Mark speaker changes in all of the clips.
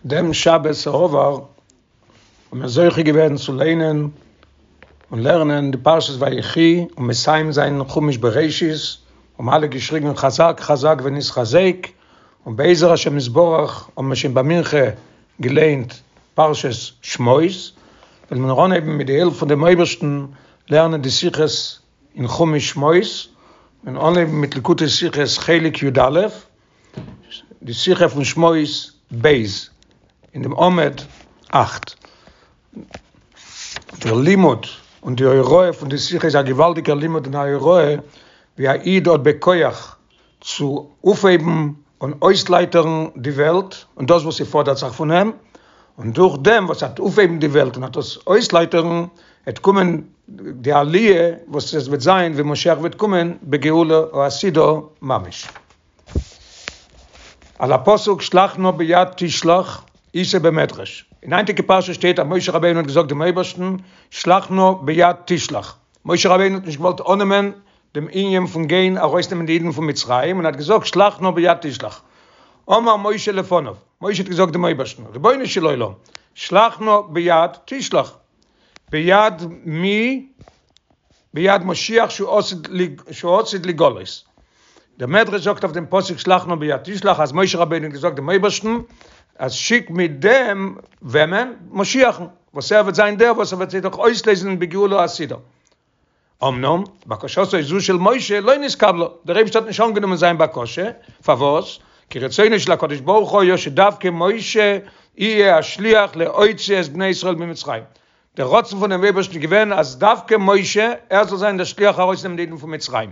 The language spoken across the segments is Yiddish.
Speaker 1: דעם שבת שעבר האבן מיר זוכה געווען צו ליינען און לערנען די פרשת ויחי און מסיים זיין חומש בראשית, האבן אלע געשריגן חזק חזק ונתחזק, און בעזר השם יתברך האבן מיר שוין ביי מנחה געליינט פרשת שמות, וועלן מיר אנהייבן מיט די הילף פון דעם אויבערשטן לערנען די שיחות אין חומש שמות, און אנהייבן מיט ליקוטי שיחות חלק י א, די שיחה פון שמות ב' אין דעם עמוד אכט. דער לימוד און די הוראה פון די שיחה איז א געוואלדיגער לימוד און א הוראה ווי א איד האט בכח צו אויפהייבן און אויסלייטערן די וועלט און דאס וואס ס'פאדערט זיך פון אים, און דורך דעם וואס ער וועט אויפהייבן די וועלט און וועט עס אויסלייטערן, וועט קומען די עליה וואס עס וועט זיין ווען משיח וועט קומען בגאולה העתידה ממש. על הפסוק שלח נא ביד תשלח איתא במדרש, אין היינטיגע פרשה שטייט אז משה רבינו האט געזאגט דעם אייבערשטן שלח נא ביד תשלח, משה רבינו האט נישט געוואלט אננעמען דעם ענין פון גיין ארויסנעמען די אידן פון מצרים און האט געזאגט שלח נא ביד תשלח, אמר משה לפניו, משה האט געזאגט דעם אויבערשטן, רבונו של עולם, שלח נא ביד תשלח, ביד מי? ביד משיח שהוא עתיד לגלות. דער מדרש זאגט אויף דעם פסוק שלח נא ביד תשלח אז משה רבינו האט געזאגט דעם אויבערשטן אז שיק מיט דעם וועמען? משיח'ן, וואס ער וועט זיין דער וואס ער וועט זיי דאך אויסלייזן בגאולה העתידה. אמנם, בקשתו זו של משה לא נתקבלה, דער אייבערשטער האט נישט אנגענומען זיין בקשה, פארוואס? כי רצונו של הקדוש ברוך הוא היה שדווקא משה יהיה השליח להוציא את בני ישראל ממצרים. דער רצון פונעם אייבערשטן איז געווען אז דווקא משה, ער זאל זיין דער שליח ארויסנעמען די אידן פון מצרים.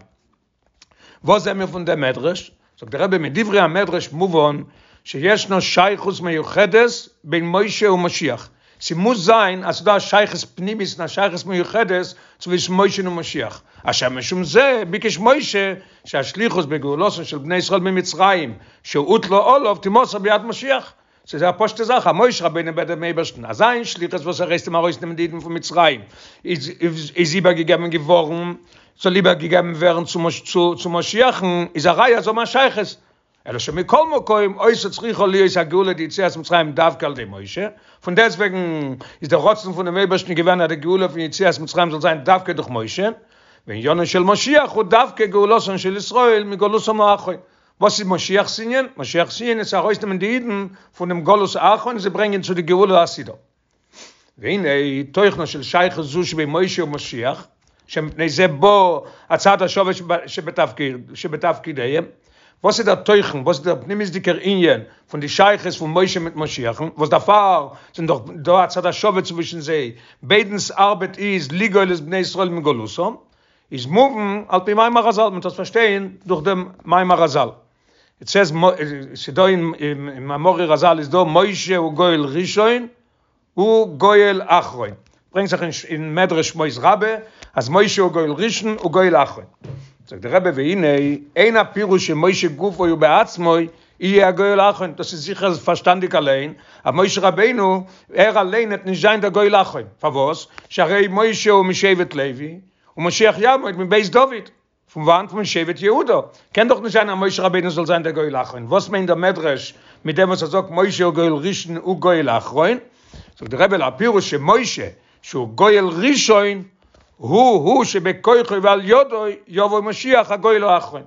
Speaker 1: וואס זעען מיר פון דעם מדרש? זאגט דער רבי, מדברי המדרש מובן שישנה שייכות מיוחדת בין משה ומשיח, ס'מוז זיין אז ס'דא א שייכות פנימית און א שייכות מיוחדת צווישן משה און משיח, אשר משום זה ביקש משה שהשליחות בגאולתן של בני ישראל ממצרים שהוטלה עליו תימסר ביד משיח, ס'איז א פשוטע זאך אז משה רבינו בעט דעם אייבערשטן אז זיין שליחות וואס ער הייסט אים ארויסנעמען די אידן פון מצרים איז איז איבערגעגעבן געווארן, זאל איבערגעגעבן ווערן צו צו משיח'ן, איז א ראיה אז זיי האבן א שייכות. אלא שמכל מקום היתה צריכה להיות הגאולה דיציאת מצרים דווקא על ידי משה, פון דעסטוועגן איז דער רצון פונעם אייבערשטן געווען אז די גאולה פון יציאת מצרים זאל זיין דווקא דורך משה, ועניינו של משיח הוא דווקא גאולתן של ישראל מגלותם האחרון, וואס איז משיח'ס ענין? משיח'ס ענין איז צו ארויסנעמען די אידן פונעם גלות האחרון און זיי ברענגען צו די גאולה העתידה. והנה תוכנה של שייכות זו שבין משה ומשיח, שמפני זה בא הצד השווה שבתפקידיהם, וואס איז דער תוכן, וואס איז דער פנימיות'דיגער ענין פון די שייכות פון משה מיט משיח'ן, וואס דערפאר זענען דאך דא א צד השווה צווישן זיי, ביידנס ארבעט איז לגאול את בני ישראל מגלותם, איז מובן על פי מאמר רזל, מען טוט עס פארשטיין דורך דעם מאמר רזל. איט סעז, ס'דא אין מאמרי רזל איז דא משה הוא גואל ראשון הוא גואל אחרון, ברענגט זיך אין מדרש שמות רבה אז משה הוא גואל ראשון הוא גואל אחרון. זאגט דער רבי והנה אין הפירוש שמשה גופו ובעצמו יהיה הגואל האחרון, דאס איז זיכער פארשטאנדיג אליין אז משה רבינו ער אליין וועט נישט זיין דער גואל האחרון, פארוואס? שהרי משה הוא משבט לוי ומשיח יעמוד מבית דוד, פון וואנט? פון שבט יהודה, קען דאך נישט זיין אז משה רבינו זאל זיין דער גואל האחרון, וואס מיינט דער מדרש מיט דעם וואס ער זאגט משה הוא גואל ראשון הוא גואל אחרון? זאגט דער רבי הפירוש שמשה שהוא גואל ראשון הוא הוא שבכוחו ועל ידו יבוא משיח הגואל האחרון,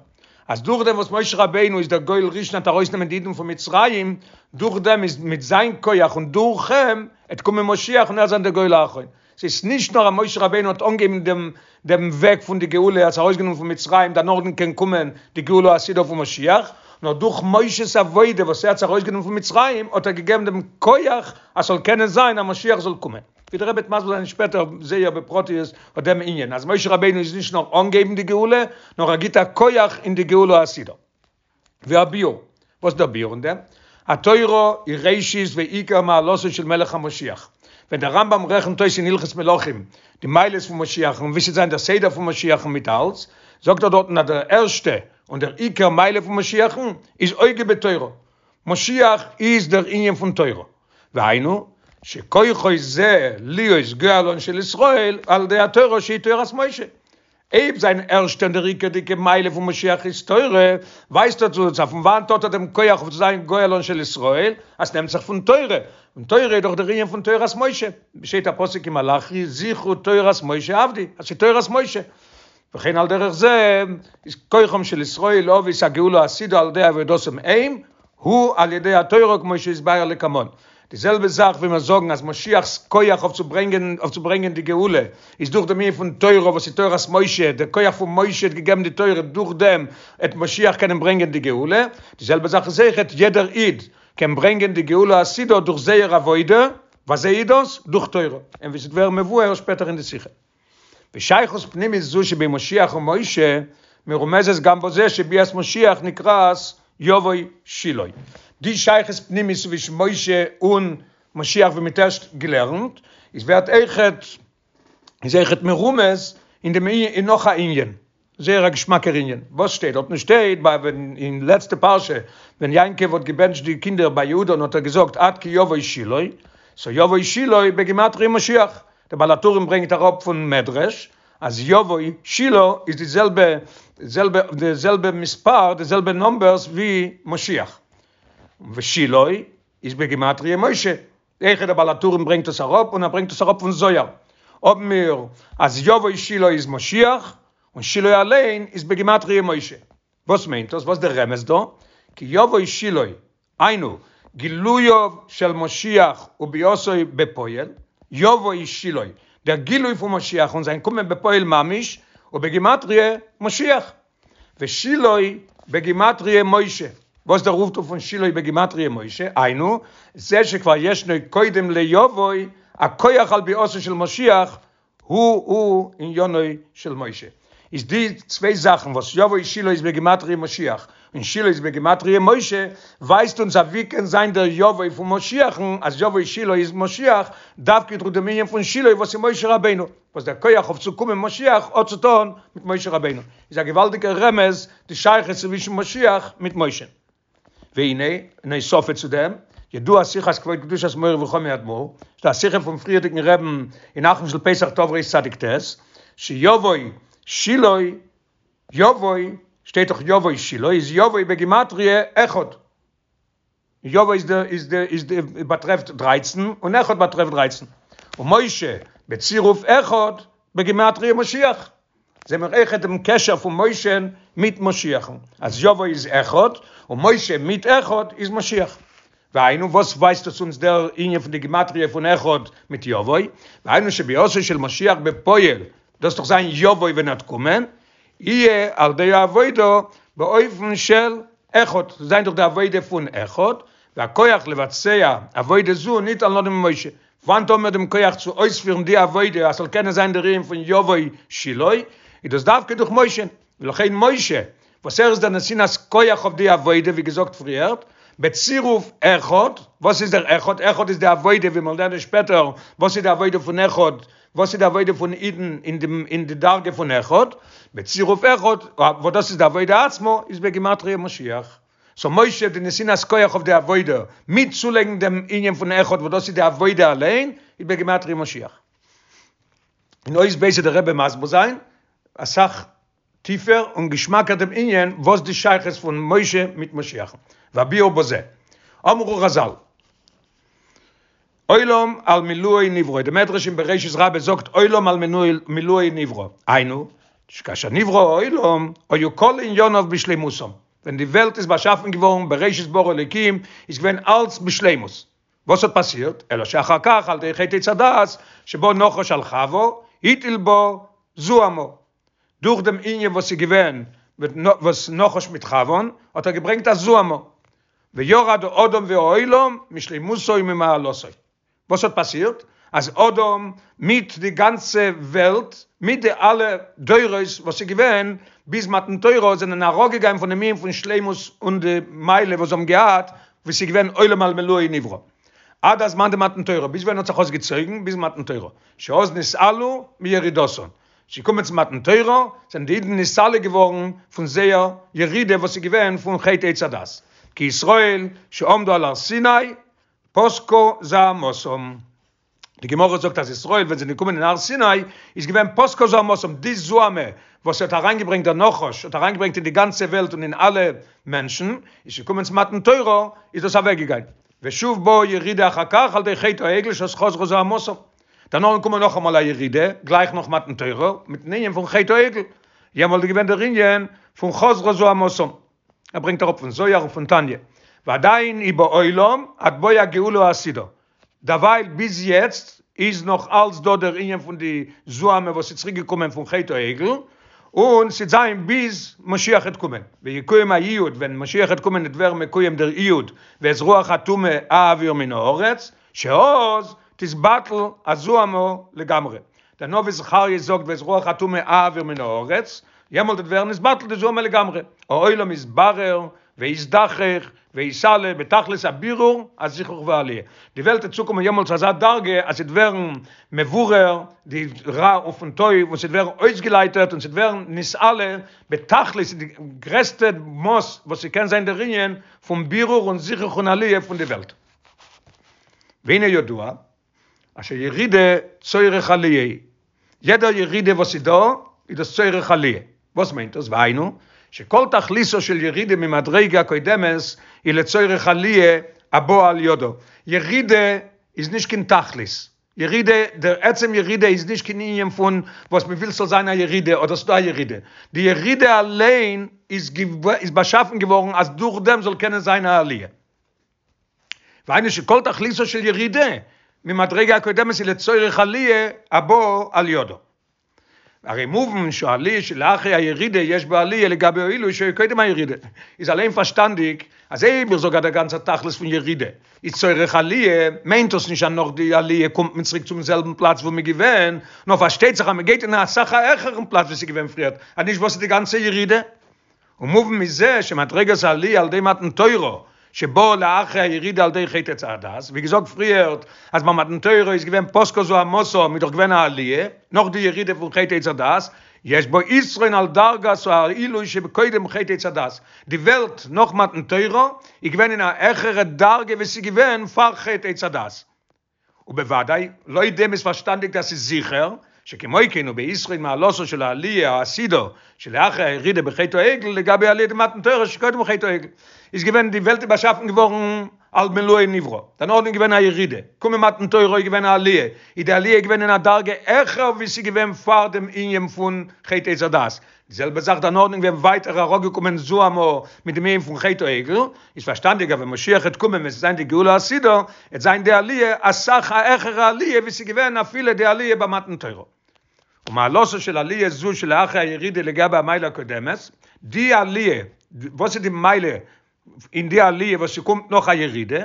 Speaker 1: אז דורך דעם וואס משה רבינו איז דער גואל ראשון האט ארויסנעמען די אידן פון מצרים, דורך דעם איז מיט זיין כח און דורך אים עט קומען משיח און ער זיין דער גואל האחרון. ס'איז נישט נאר אז משה רבינו האט אנגעהויבן דעם דעם וועג פון די גאולה, ער האט ארויסגענומען פון מצרים, דערנאכדעם קען קומען די גאולה העתידה פון משיח, נאר דורך משה'ס עבודה וואס ער האט ארויסגענומען פון מצרים האט ער געגעבן דעם כח אז ס'זאל קענען זיין אז משיח זאל קומען. ווי דער רבי וועט מסביר זיין שפעטער זייער בפרטיות אט דעם ענין אז משה רבינו איז נישט נאר אנגעהויבן די גאולה, נאר ער גיט א כח אין די גאולה העתידה. והביאור, וואס איז דער ביאור אין דעם? התורה היא ראשית ועיקר מעלתו של מלך המשיח. ווען דער רמב ם רעכנט אויס אין הלכות מלכים די מעלות פון משיח'ן און ווי ס'וועט זיין דער סדר פון משיח'ן מיט אלץ, זאגט ער דארטן אז דער ערשטע און דער עיקר מעלה פון משיח'ן איז הוגה בתורה. משיח איז דער ענין פון תורה. והיינו, שכוחו זה להיות גואלן של ישראל על ידי התורה שהיא תורת משה. אויב זיין ערשטע און דער עיקר'דיגע מעלה פון משיח איז תורה, ווייזט ער אונז אז פון וואנעט האט ער דעם כח אויף צו זיין גואלן של ישראל, אז ס'נעמט זיך פון תורה, און תורה איז דאך דער ענין פון תורת משה, שטייט א פסוק אין מלאכי זכרו תורת משה עבדי, אז ס'איז תורת משה. וכן על דרך זה איז כוחם של ישראל להביא את הגאולה העתידה על ידי עבודתם הם הוא על ידי התורה כמו שהתבאר לקמן. די זעלבע זאך ווי מיר זאגן אז משיח'ס כח אויף צו ברענגען אויף צו ברענגען די גאולה איז דורך דעם ענין פון תורה וואס איז תורת משה, דער כח פון משה האט געגעבן די תורה דורך דעם עט משיח קענען ברענגען די גאולה, די זעלבע זאך איז אויכעט יעדער איד קען ברענגען די גאולה העתידה דורך זייער עבודה, וואזוי איז דאס? דורך תורה, און ווי ס'וועט ווערן מבואר שפעטער אין די שיחה. ושייכות פנימית זו שבין משיח ומשה מרומזת גם בזה שביאת משיח נקראת יבוא שילה. די שייכות פנימית צווישן משה און משיח ווי מ'האט ערשט געלערנט, איז ווערט אויכעט איז אויכעט מרומז אין דעם אין נאך א ענין. זייער א געשמאקער ענין. וואס שטייט דארט? שטייט ביי ווען אין לעצטע פרשה ווען יעקב האט געבענטשט די קינדער ביי יהודה'ן האט ער געזאגט עד כי יבוא שילה, סאו יבוא שילה בגימטריא משיח, דער בעל הטורים ברענגט אראפ פון מדרש אז יבוא שילה איז די זעלבע זעלבע די זעלבע מספר די זעלבע נומבערס ווי משיח, ושילה איז בגימטריא משה, אויכעט דער בעל הטורים ברענגט עס אראפ און ער ברענגט עס אראפ פון זוהר, האבן מיר אז יבוא שילה איז משיח און שילה אליין איז בגימטריא משה. וואס מיינט דאס? וואס דער רמז דא? כי יבוא שילה, היינו, גילויו של משיח וביאתו בפועל, יבוא שילה, דער גילוי פון משיח און זיין קומען בפועל ממש, ובגימטריא משיח. ושילה בגימטריא משה, וואס דער אויפטו פון שילה בגימטריא משה, היינו, זה שכבר ישנו קודם ליבוא, הכח על ביאתו של משיח, הוא הוא עניינו של משה. איז די צוויי זאכן וואס יבוא שילה איז בגימטריא משיח, און שילה איז בגימטריא משה, ווייזט אונז אז ווי קען זיין דער יבוא פון משיח'ן, אז יבוא שילה איז משיח, דווקא דורך דעם ענין פון שילה וואס איז משה רבינו. וואס דער כח אויף צו קומען משיח האט צו טון מיט משה רבינו, איז א געוואלדיגער רמז די שייכות צווישן משיח מיט משה. והנה, און הוספה צו דעם, ידוע שיחת כבוד קדושת מורי וחמי אדמו"ר, ס'דא א שיחה פון פריערדיגן רעבן אין אחרון של פסח תרצ"ט, שיבוא שילה יבוא, שטייט דאך יבוא שילה, איז יבוא בגימטריא אחד. יבוא איז די איז די איז די באטרעפט דרייצן און אחד באטרעפט דרייצן ומשה בצירוף אחד בגימטריא משיח זעהן מיר אויכעט דעם קשר פון משה מיט משיח'ן אז יבוא איז אחד און משה מיט אחד איז משיח והיינו וואס ווייזט עס אונז דער ענין פון די גימטריא פון אחד מיט יבוא והיינו שביאתו של משיח בפועל דאס דאך זיין יבוא ווען ער וועט קומען יהיה על ידי העבודה באופן של אחד, זיין דורך די עבודה פון אחד, והכח לבצע עבודה זו ניתן לנו ממשה, וואנעט האבן מיר דעם כח צו אויספירן די עבודה אז ס'זאל קענען זיין דער ענין פון יבוא שילה, איז דאס דווקא דורך משה, ולכן משה, וואס ער איז דער נתינת כח אויף די עבודה ווי געזאגט פריערט, בצירוף אחד, וואס איז דער אחד? אחד איז די עבודה ווי מיר לערנען שפעטער וואס איז די עבודה פון אחד, וואס איז די עבודה פון אידן אין די אין די דרגה פון אחד, בצירוף אחד, וואס דאס איז די עבודה עצמה, איז בגימטריא משיח. סאו משה די נתינת כח אויף די עבודה, מיט צולייגן דעם ענין פון אחד וואס דאס איז די עבודה אליין, איז בגימטריא משיח. אין אות ב' וועט דער רבי מסביר זיין אסאך טיפער און געשמאקער דעם ענין וואס די שייכות פון משה מיט משיח'ן, והביאור בזה. אמרו רז"ל, עולם על מילואו נברא, די מדרש אין בראשית רבה זאגט עולם על מילואו נברא, היינו, שכאשר נברא העולם היו כל עניניו בשלימותם, ווען די וועלט איז באשאפן געווארן בראשית ברא אלוקים איז געווען אלץ בשלימות, וואס האט פאסירט? אלא שאחר כך על ידי חטא עץ הדעת שבא נחש על חווה הטיל בה זוהמא, דורך דעם ענין וואס איז געווען וואס נחש מיט חוה'ן האט ער געברענגט א זוהמא, וירד האדם והעולם משלימותו וממעלתו. וואס האט פאסירט? אז אדם מיט די גאנצע וועלט, מיט די אלע דורות וואס איז געווען ביז מתן תורה, זענען אראפגעגאנגען פון דעם ענין פון שלימות און די מעלה וואס זיי האבן געהאט, וואס איז געווען עולם על מילואו נברא. עד הזמן דמתן תורה, ביז ווען האט זיך עס געצויגן? ביז מתן תורה. שאז נתעלו מירידתן. ס'איז געקומען צו מתן תורה, זענען די אידן נתעלה געווארן פון זייער ירידה וואס איז געווען פון חטא עץ הדעת, כי ישראל שעמדו על הר סיני פסקה זוהמתם, די גמרא זאגט אז ישראל ווען זיי זענען געקומען אין הר סיני איז געווען פסקה זוהמתם, די זוהמא. וואס האט אריינגעברענגט דער נחש האט אריינגעברענגט אין די גאנצע וועלט און אין אלע מענטשן, איז געקומען צו מתן תורה איז דאס אוועקגעגאנגען, ושוב באה ירידה אחר כך על ידי חטא העגל שאז חזרה זוהמתם, דערנאך געקומען נאכאמאל א ירידה גלייך נאך מתן תורה מיטן ענין פון חטא העגל, יעמאלט איז געווען דער ענין פון חזרה זוהמתם. ער ברענגט אראפ פון זוהר און פון תניא, ועדיין היא בעולם עד בוא הגאולה העתידה, דערווייל ביז יעצט איז נאך אלץ דא דער ענין פון די זוהמא וואס איז צוריק געקומען פון חטא העגל, און ס'עט זיין ביז משיח עט קומען, ויקוים היעוד, ווען משיח עט קומען עט ווערן מקוים דער יעוד, ואת רוח הטומאה אעביר מן הארץ, שאז תתבטל הזוהמא לגמרי, דער נביא זכריה זאגט ואת רוח הטומאה אעביר מן הארץ, יעמאלט וועט ווערן נתבטל די זוהמא לגמרי, העולם יתברר ויזדכך ויתעלה בתכלית הבירור הזיכוך והעליה, די וועלט וועט צוקומען יעמאלט צו אזא דרגה אז ס'וועט ווערן מבורר די רע פון טוב און ס'וועט ווערן אויסגעלייטערט און ס'וועט ווערן נתעלה בתכלית אין די גרעסטע מאס וואס ס'קען זיין דער ענין פון בירור און זיכוך און עליה פון די וועלט. והנה ידוע אז שירידה צורך עליה, יעדע ירידה וואס איז דא איז דאס צורך עליה, וואס מיינט דאס? והיינו, שכל תכליתה של ירידה ממדריגה הקודמת היא לצורך עליה הבאה על ידה, ירידה איז נישט קיין תכלית, ירידה, דער עצם ירידה איז נישט קיין ענין פון וואס מען וויל ס'זאל זיין א ירידה אדער ס'דא א ירידה, די ירידה אליין איז באשאפן געווארן אז דורך דעם זאל קענען זיין א עליה. והיינו שכל תכליתה של ירידה ממדרגה הקודמת היא לצורך עליה הבאה על ידה. הרי מובן שהעליה שלאחרי הירידה יש בה עליה לגבי העילוי שהיה קודם הירידה. איז אליין פארשטאנדיג אז אויב איך זאג אז דער גאנצער תכלית פון ירידה איז צורך עליה, מיינט דאס נישט אז נאך די עליה קומט מען צוריק צום זעלבן פלאץ וואו מ'איז געווען, נאר פארשטייט זיך אז מ'גייט אין א אסאך א העכערן פלאץ ווי ס'איז געווען פריערט, אז נישט וואס איז די גאנצע ירידה? ומובן מזה שמדרגת העלי' על ידי מתן תורה שבאה לאחרי הירידה על ידי חטא עץ הדעת, ווי געזאגט פריערט אז ביי מתן תורה איז געווען פסקה זוהמתם איז דאך געווען א עליה נאך די ירידה פון חטא עץ הדעת, יש בו יתרון על דרגת העילוי שבקודם חטא עץ הדעת, די וועלט נאך מתן תורה איז געווען אין א העכערע דרגה ווי ס'איז געווען פאר חטא עץ הדעת. ובוודאי, לויט דעם איז פארשטאנדיג אז ס'איז זיכער, שכמו כן הוא ביתרון מעלתה של העליה העתידה שלאחר הירידה בחטא העגל לגבי עליה דמתן תורה שקודם חטא העגל, איז געווען די וועלט איז באשאפן געווארן על מלואו נברא, דערנאך איז געווען א ירידה, קומען מתן תורה איז געווען א עליה, איז די עליה געווען אין א דרגה העכער ווי ס'איז געווען פאר דעם ענין פון חטא עץ הדעת, די זעלבע זאך דערנאכדעם ווען ווייטער אראפגעקומען זוהמא מיט דעם ענין פון חטא העגל, איז פארשטאנדיג אז ווען משיח העט קומען ווען ס'עט זיין די גאולה העתידה, העט זיין די עליה אסאך א העכערע עליה ווי ס'איז געווען אפילו די עליה ביי מתן תורה. ומעלתה של עליה זו שלאחר הירידה לגבי המעלה הקודמת, די עליה, וואס איז די מעלה אין די עליה וואס ס'קומט נאך א ירידה,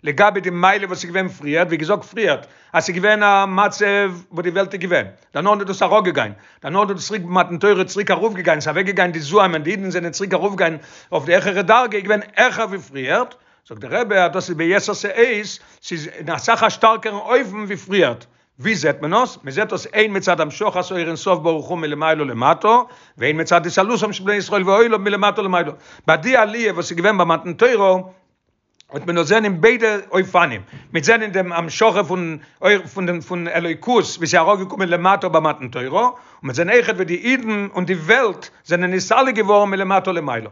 Speaker 1: לגבי די מעלה וואס איז געווען פריערט, ווי געזאגט פריערט, אז ס'איז געווען א מצב וואס די וועלט איז געווען, דערנאך איז דאס אראפגעגיין, דערנאך איז דאס צוריק מתן תורה צוריק ארויפגעגיין, ס'איז אוועקגעגיין די זוהמא און די אידן זענען צוריק ארויפגעגיין אויף די העכערע דרגה, איז געווען העכער ווי פריערט, זאגט דער רבי אז דאס איז ביתר שאת, ס'איז אין אסאך א שטארקערן אופן ווי פריערט, ווי זעט מען עס? מען זעט עס הן מצד המשכת אור אין סוף ברוך הוא מלמעלה למטה, והן מצד התעלותם של בני ישראל והעולם מלמטה למעלה. ביי די עליה וואס איז געווען ביי מתן תורה, האט מען דאס זען אין ביידע אופנים, מ'עט זען אין דעם המשכה פון אור פון דעם פון אלוקות ווי ס'איז אראפגעקומען למטה ביי מתן תורה, און מ'עט זען אויכעט ווי די אידן און די וועלט זענען נתעלה געווארן מלמטה למעלה.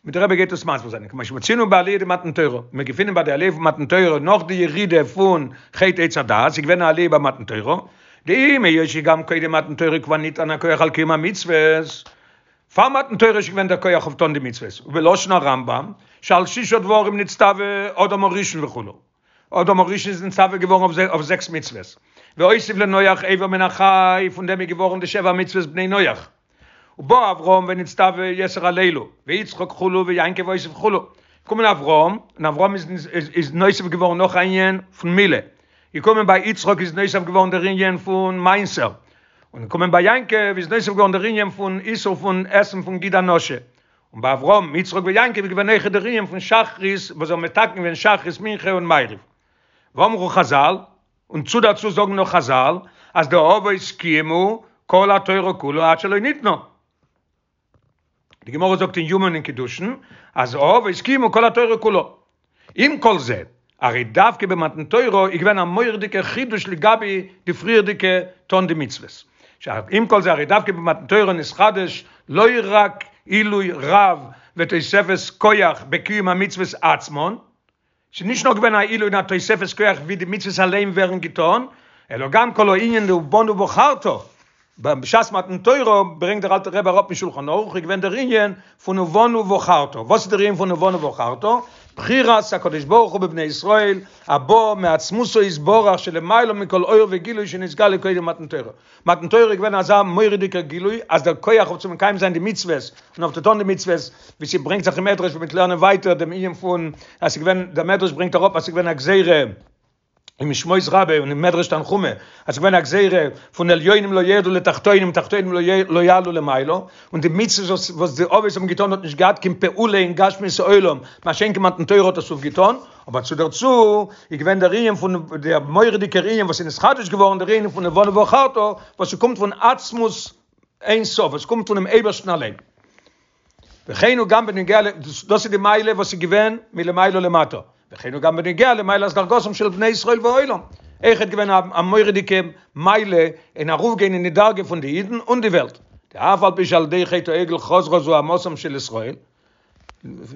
Speaker 1: ווי דער רבי גייט עס מסביר זיין, כמו שמצינו בעליה דמתן תורה, מיר געפינען ביי די עליה פון מתן תורה נאך די ירידה פון חטא עץ הדעת, איז געווען א עליה ביי מתן תורה, דאם היות שגם קודם מתן תורה כבר ניתן הכח על קיום המצוות, פאר מתן תורה איז שוין געווען דער כח אויף טון די מצוות, ובלשון הרמב"ם, שעל שישה דברים נצטווה אדם הראשון וכו', אדם הראשון איז נצטווה געווארן אויף זעקס מצוות, והוסיף לנח אבר מן החי, פון דעם איז געווארן די שבע מצוות בני נח, ובא אברהם ונצטווה יתר על אלו, ויצחק כו' ויעקב הוסיף כו', געקומען אברהם, און אברהם איז איז נוסף געווארן נאך א ענין פון מילה, געקומען ביי יצחק איז נוסף געווארן דער ענין פון מעשר, און געקומען ביי יעקב איז נוסף געווארן דער ענין פון איסור פון עסן פון גיד הנשה, און ביי אברהם יצחק ויעקב איז געווען אויכעט דער ענין פון שחרית וואס זיי האבן מתקן געווען שחרית מנחה און מעריב. ואמרו חזל, און צו דערצו זאגן נאך חזל, אז די אבות קיימו כל התורה כולה עד שלא ניתנה. די גמרא זאגט אין יומא און אין קידושין אז האבות קיימו כל התורה כולה. עם כל זה, הרי דווקא במתן תורה איז געווען א מורא'דיגער חידוש לגבי די פריערדיגע טון די מצוות. שעם כל זה הרי דווקא במתן תורה נתחדש לא רק עילוי רב ותוספת כח בקיום המצוות עצמן, ס'איז נישט נאר געווען א עילוי און א תוספת כח ווי די מצוות אליין ווערן געטון, אלא גם כל הענין דובנו בחרת, בשעת מתן תורה ברענגט דער אלטער רבי אראפ אין שולחן ערוך איז געווען דער ענין פון ובנו בחרת, וואס איז דער ענין פון ובנו בחרת? בחירת הקדוש ברוך הוא בבני ישראל הבאה מעצמותו יתברך שלמעלה מכל אור וגילוי שנתגלה קודם מתן תורה, מתן תורה איז געווען אזא מורא'דיגער גילוי אז דער כח אויף צו מקיים זיין די מצוות און אויף צו טון די מצוות, ווי ס'ברענגט זיך אין מדרש ווי מ'וועט לערנען ווייטער דעם ענין פון אז ס'איז געווען, דער מדרש ברענגט אראפ אז ס'איז געווען א גזירה אין שמות רבה און אין מדרש תנחומא אז ס'איז געווען א גזירה פון עליונים לא ירדו לתחתונים תחתונים לא יעלו למעלה, און די מצוות וואס די אבות האבן געטון האט נישט געהאט קיין פעולה אין גשמיות העולם, מה שאין כן מתן תורה האט עס אויפגעטון. אבער צו דערצו איז געווען דער ענין פון דער מורא'דיגער ענין וואס איז נתחדש געווארן דער ענין פון ובנו בחרת וואס ס'קומט פון עצמות אין סוף וואס קומט פונעם אייבערשטן אליין. וכן הוא גם בנוגע ל, דאס איז די מעלה וואס איז געווען מלמעלה למטה, וכן הוא גם בנוגע למעלת דרגתם של בני ישראל והעולם, אויכעט געווען א מורא'דיגע מעלה אין ארויפגיין אין די דרגה פון די אידן און די וועלט, דאף על פי שעל ידי חטא העגל חזרה זוהמתם של ישראל,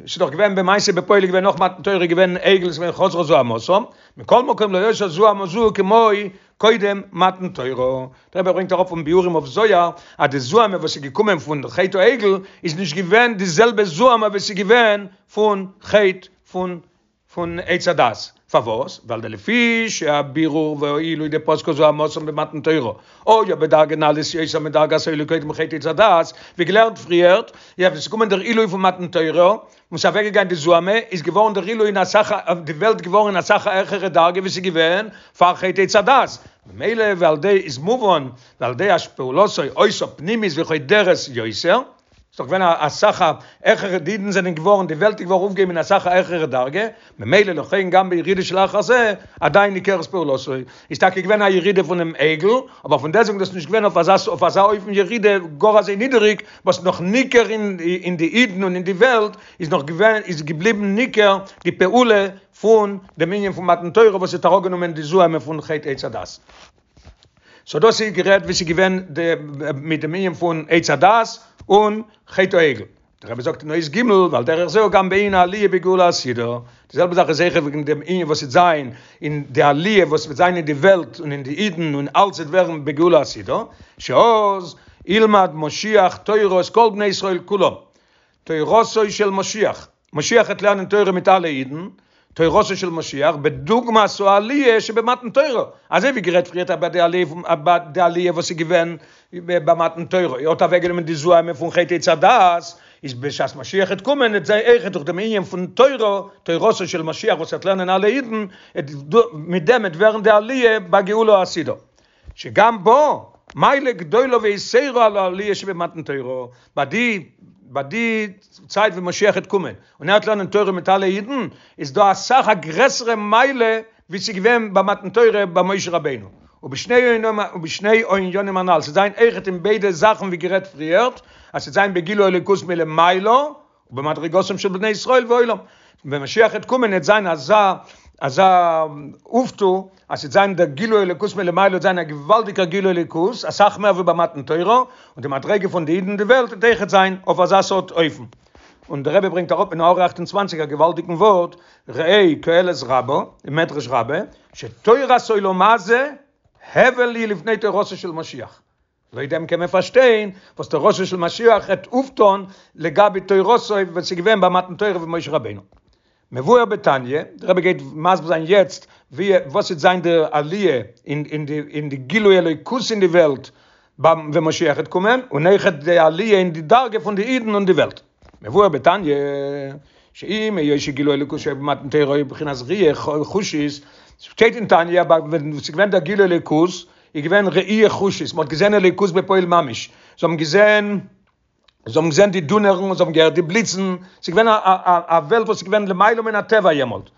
Speaker 1: ס'איז דאך געווען במעשה בפועל איז געווען נאך מתן תורה געווען עגל איז געווען חזרה זוהמתם, מכל מקום לא היתה זוהמא זו כמו קודם מתן תורה. דער רבי ברענגט אראפ פון ביאורים אויף זוהר אז די זוהמא וואס איז געקומען פון חטא העגל איז נישט געווען די זעלבע זוהמא וואס איז געווען פון חטא פון פון עץ הדעת, פארוואס? ווייל דלפי שהבירור והעילוי דפסקה זוהמתם במתן תורה, היה בדרגה נעלית יותר מדרגת העילוי קודם חטא עץ הדעת, ווי געלערנט פריערט, יא ווען ס'איז געקומען דער עילוי פון מתן תורה, און ס'איז אוועקגעגאנגען די זוהמא, איז געווארן דער עילוי אין אסאך א, די וועלט געווארן אין אסאך א העכערע דרגה ווי ס'איז געווען פאר חטא עץ הדעת, ממילא ועל ידי איז מובן ועל ידי שפעולתו היתה פנימית וחודרת יותר, ס'איז דאך געווען א אסאך א העכערע די אידן זענען געווארן די וועלט איז געווארן אויפגעהויבן אין אסאך א העכערע דרגה, ממילא לכן גם בירידה שלאחר זה עדיין ניכרת פעולתו, איז טאקע געווען א ירידה פונעם עגל, אבער פון דעסטוועגן דאס נישט געווען אויף אזא אויף אזא אופן ירידה גאר אזוי נידעריג וואס נאך ניכר אין אין די אידן און אין די וועלט איז נאך געווען איז געבליבן ניכר די פעולה פון דעם ענין פון מתן תורה וואס האט אראפגענומען די זוהמא פון חטא עץ הדעת. סאו דאס איז גערעדט ווי ס'איז געווען די מיט דעם ענין פון עץ הדעת און חטא העגל. דער רבי זאגט אין אות ג' ועל דרך זה גם בענין העליה בגאולה העתידה, די זעלבע זאך איז אויכעט וועגן דעם ענין וואס וועט זיין אין די עליה וואס וועט זיין אין די וועלט און אין די אידן און אלץ וועט ווערן בגאולה העתידה, שאז ילמד משיח תורה את כל בני ישראל כולם, תורתו של משיח, משיח העט לערנען תורה מיט אלע אידן, תורתו של משיח, בדוגמת העליה שבמתן תורה, אזוי ווי גערעדט פריערט אבער די עליה פון אבער די עליה וואס איז געווען ביי מתן תורה, ער האט אוועק גענומען די זוהמא פון חטא עץ הדעת, איז בשעת משיח העט קומען העט זיין אויכעט דורך דעם ענין פון תורה, תורתו של משיח וואס העט לערנען אלע אידן, מיט דעם העט ווערן די עליה בגאולה העתידה. שגם בה מעלה גדולה ויתירה על העליה שבמתן תורה, ביי די ביי די צייט ווען משיח העט קומען און ער העט לערנען תורה מיט אלע אידן, איז דא אסאך א גרעסערע מעלה ווי ס'איז געווען ביי מתן תורה ביי משה רבינו, ובשני ובשני הענינים הנל, ס'וועט זיין אויכעט אין ביידע זאכן ווי גערעדט פריערט, אז ס'וועט זיין בגילוי אלוקות מלמעלה, ובמדרגתם של בני ישראל והעולם, ווען משיח העט קומען העט זיין אזא אזא אויפטו, אז ס'וועט זיין דער גילוי אלוקות מלמעלה וועט זיין א געוואלדיגער גילוי אלוקות, אסאך מער ווי ביי מתן תורה, און די מדרגה פון די אידן אין די וועלט וועט אויכעט זיין אויף אזא סארט אופן. און דער רבי ברענגט אראפ אין הערה 28 א געוואלדיגן ווארט, ראה קהלת רבה, אין מדרש רבה, שתורת עולם הזה הבל היא לפני תורתו של משיח. לויט דעם קען מען פארשטיין וואס תורתו של משיח העט אויפטון לגבי תורתו וואס איז געווען ביי מתן תורה פון משה רבינו. מבואר בתניא, דער רבי גייט מסביר זיין יעצט ווי וואס וועט זיין די עליה אין אין די אין די גילוי אלוקות אין די וועלט ביים ווען משיח העט קומען, און אויכעט די עליה אין די דרגה פון די אידן און די וועלט. מבואר בתניא, שעם היות שגילוי אלוקות שהיה במתן תורה היה בבחינת ראי' חושית, שטייט אין תניא אז ווען ס'איז געווען דער גילוי אלוקות איז געווען ראי' חושית, מ'האט געזען אלוקות בפועל ממש, זיי האבן געזען, זיי האבן געזען די דונערן און זיי האבן געהערט די בליצן, ס'איז געווען א א א וועלט וואס איז געווען למעלה מן הטבע יעמאלט,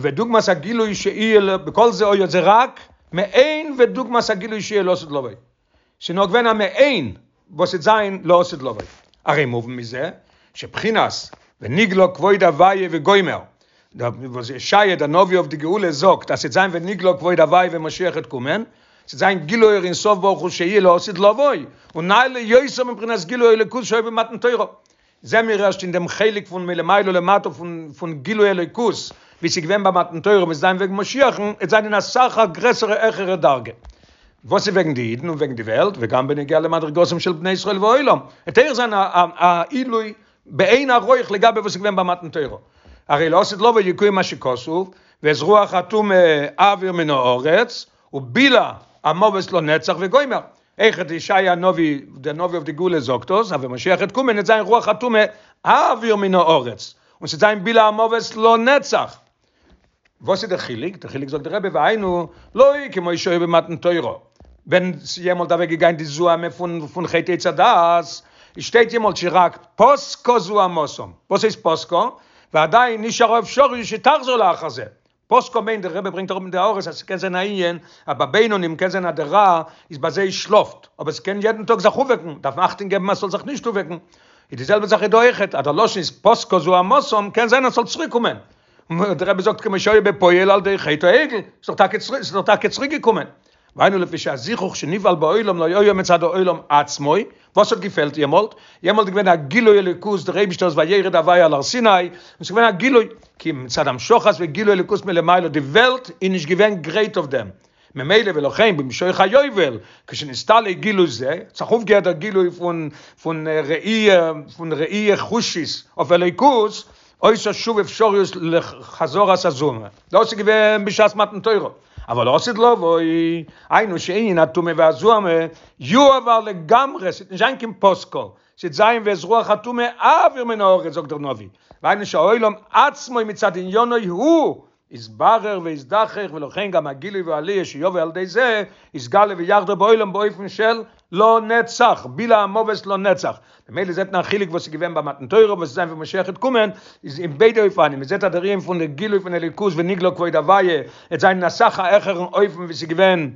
Speaker 1: ודוגמת הגילוי שיהיה בכל זה היה זה רק מעין ודוגמת הגילוי שיהיה לעתיד לבוא. ס'איז נאר געווען א מעין וואס וועט זיין לעתיד לבוא. הרי מובן מזה שבחינת ונגלה כבוד הוויה וגומר, וואס ישעיה דער נביא אויף די גאולה זאגט אז ס'וועט זיין ונגלה כבוד הוויה ווען משיח וועט קומען. ס'וועט זיין גילוי אור אין סוף ברוך הוא שיהיה לעתיד לבוא, און נעלה יותר מבחינת גילוי אלוקות שהיה במתן תורה. זעען מיר ערשט אין דעם חלק פון מלמעלה למטה פון פון גילוי אלוקות ווי ס'איז געווען ביי מתן תורה וועט זיין וועגן משיח'ן עט זיין אין אסאך א גרעסערע העכערע דרגה. וואס איז וועגן די אידן און וועגן די וועלט וגם בנוגע למדרגתם של בני ישראל והעולם עט אויך זיין א א עילוי באין ערוך לגבי וואס איז געווען ביי מתן תורה. הרי לעתיד לבוא יקוים מה שכתוב ואת רוח הטומאה אעביר מן הארץ ובלע המוות לנצח וגומר. אויכעט ישעיה הנביא, דער נביא אויף די גאולה זאגט דאס, אז ווען משיח וועט קומען וועט זיין רוח הטומאה אעביר מן הארץ, און ס'וועט זיין בלע המוות לנצח. וואס איז דער חילוק? דער חילוק זאגט דער רבי והיינו לא כמו שהיה במתן תורה, ווען ס'איז יעמאלט אוועק געגאנגען די זוהמא פון פון חטא עץ הדעת, שטייט יעמאלט שרק פסקה זוהמתם, וואס הייסט פסקה? ועדיין נשאר אפשריות שתחזור לאחר זה, פסקה מיינט דער רבי ברענגט אראפ אין די הערות אז ס'קען זיין א ענין אז ביי בינונים קען זיין אז דער רע איז ביי זיי שלאפט אבער ס'קען יעדן טאג זיך אויפוועקן דארף מען אכטונג געבן אז ס'זאל זיך נישט אויפוועקן איז די זעלבע זאך איז דא אויכעט אז דער לשון איז פסקה זוהמתם קען זיין אז ס'זאל צוריק קומען דער רבי זאגט כמו שהיה בפועל על ידי חטא העגל ס'איז דאך טאקע ס'איז דאך טאקע צוריק געקומען והיינו לפי שהזיכוך שנפעל בעולם לא היה מצד העולם עצמו, וואס האט געפעלט יעמאלט? יעמאלט איז געווען א גילוי אלוקות, דער אייבישטער איז וירד הוי' על הר סיני, און ס'איז געווען א גילוי, כי מצד המשכת וגילוי אלוקות מלמעלה, די וועלט איז נישט געווען גרייט אויף דעם, ממילא ולכן במשוך היובל, כשנסתלק גילוי זה, האט זיך אויפגעהערט דער גילוי פון פון ראי' פון ראי' חושית אויף אלוקות, היתה שוב אפשריות לחזרת הזוהמא, דאס איז געווען בשעת מתן תורה. אבל לעתיד לבוא, היינו שענין הטומאה והזוהמא יועבר לגמרי, ס'וועט נישט זיין קיין פסקה, ס'וועט זיין ואת רוח הטומאה אעביר מן הארץ זאגט דער נביא, והיינו שהעולם עצמו מצד עניינו הוא יתברר ויזדכך ולכן גם הגילוי והעליה שיבוא על ידי זה יתגלה ויחדור בעולם באופן של לנצח, בלע המוות לנצח, ממילא זעט מען א חילוק וואס איז געווען ביי מתן תורה וואס וועט זיין ווען משיח וועט קומען, איז אין ביידע אופנים, מען זעט אז דער ענין פון די גילוי פון אלוקות ונגלה כבוד הוויה וועט זיין אין אסאך א העכערן אופן ווי ס'איז געווען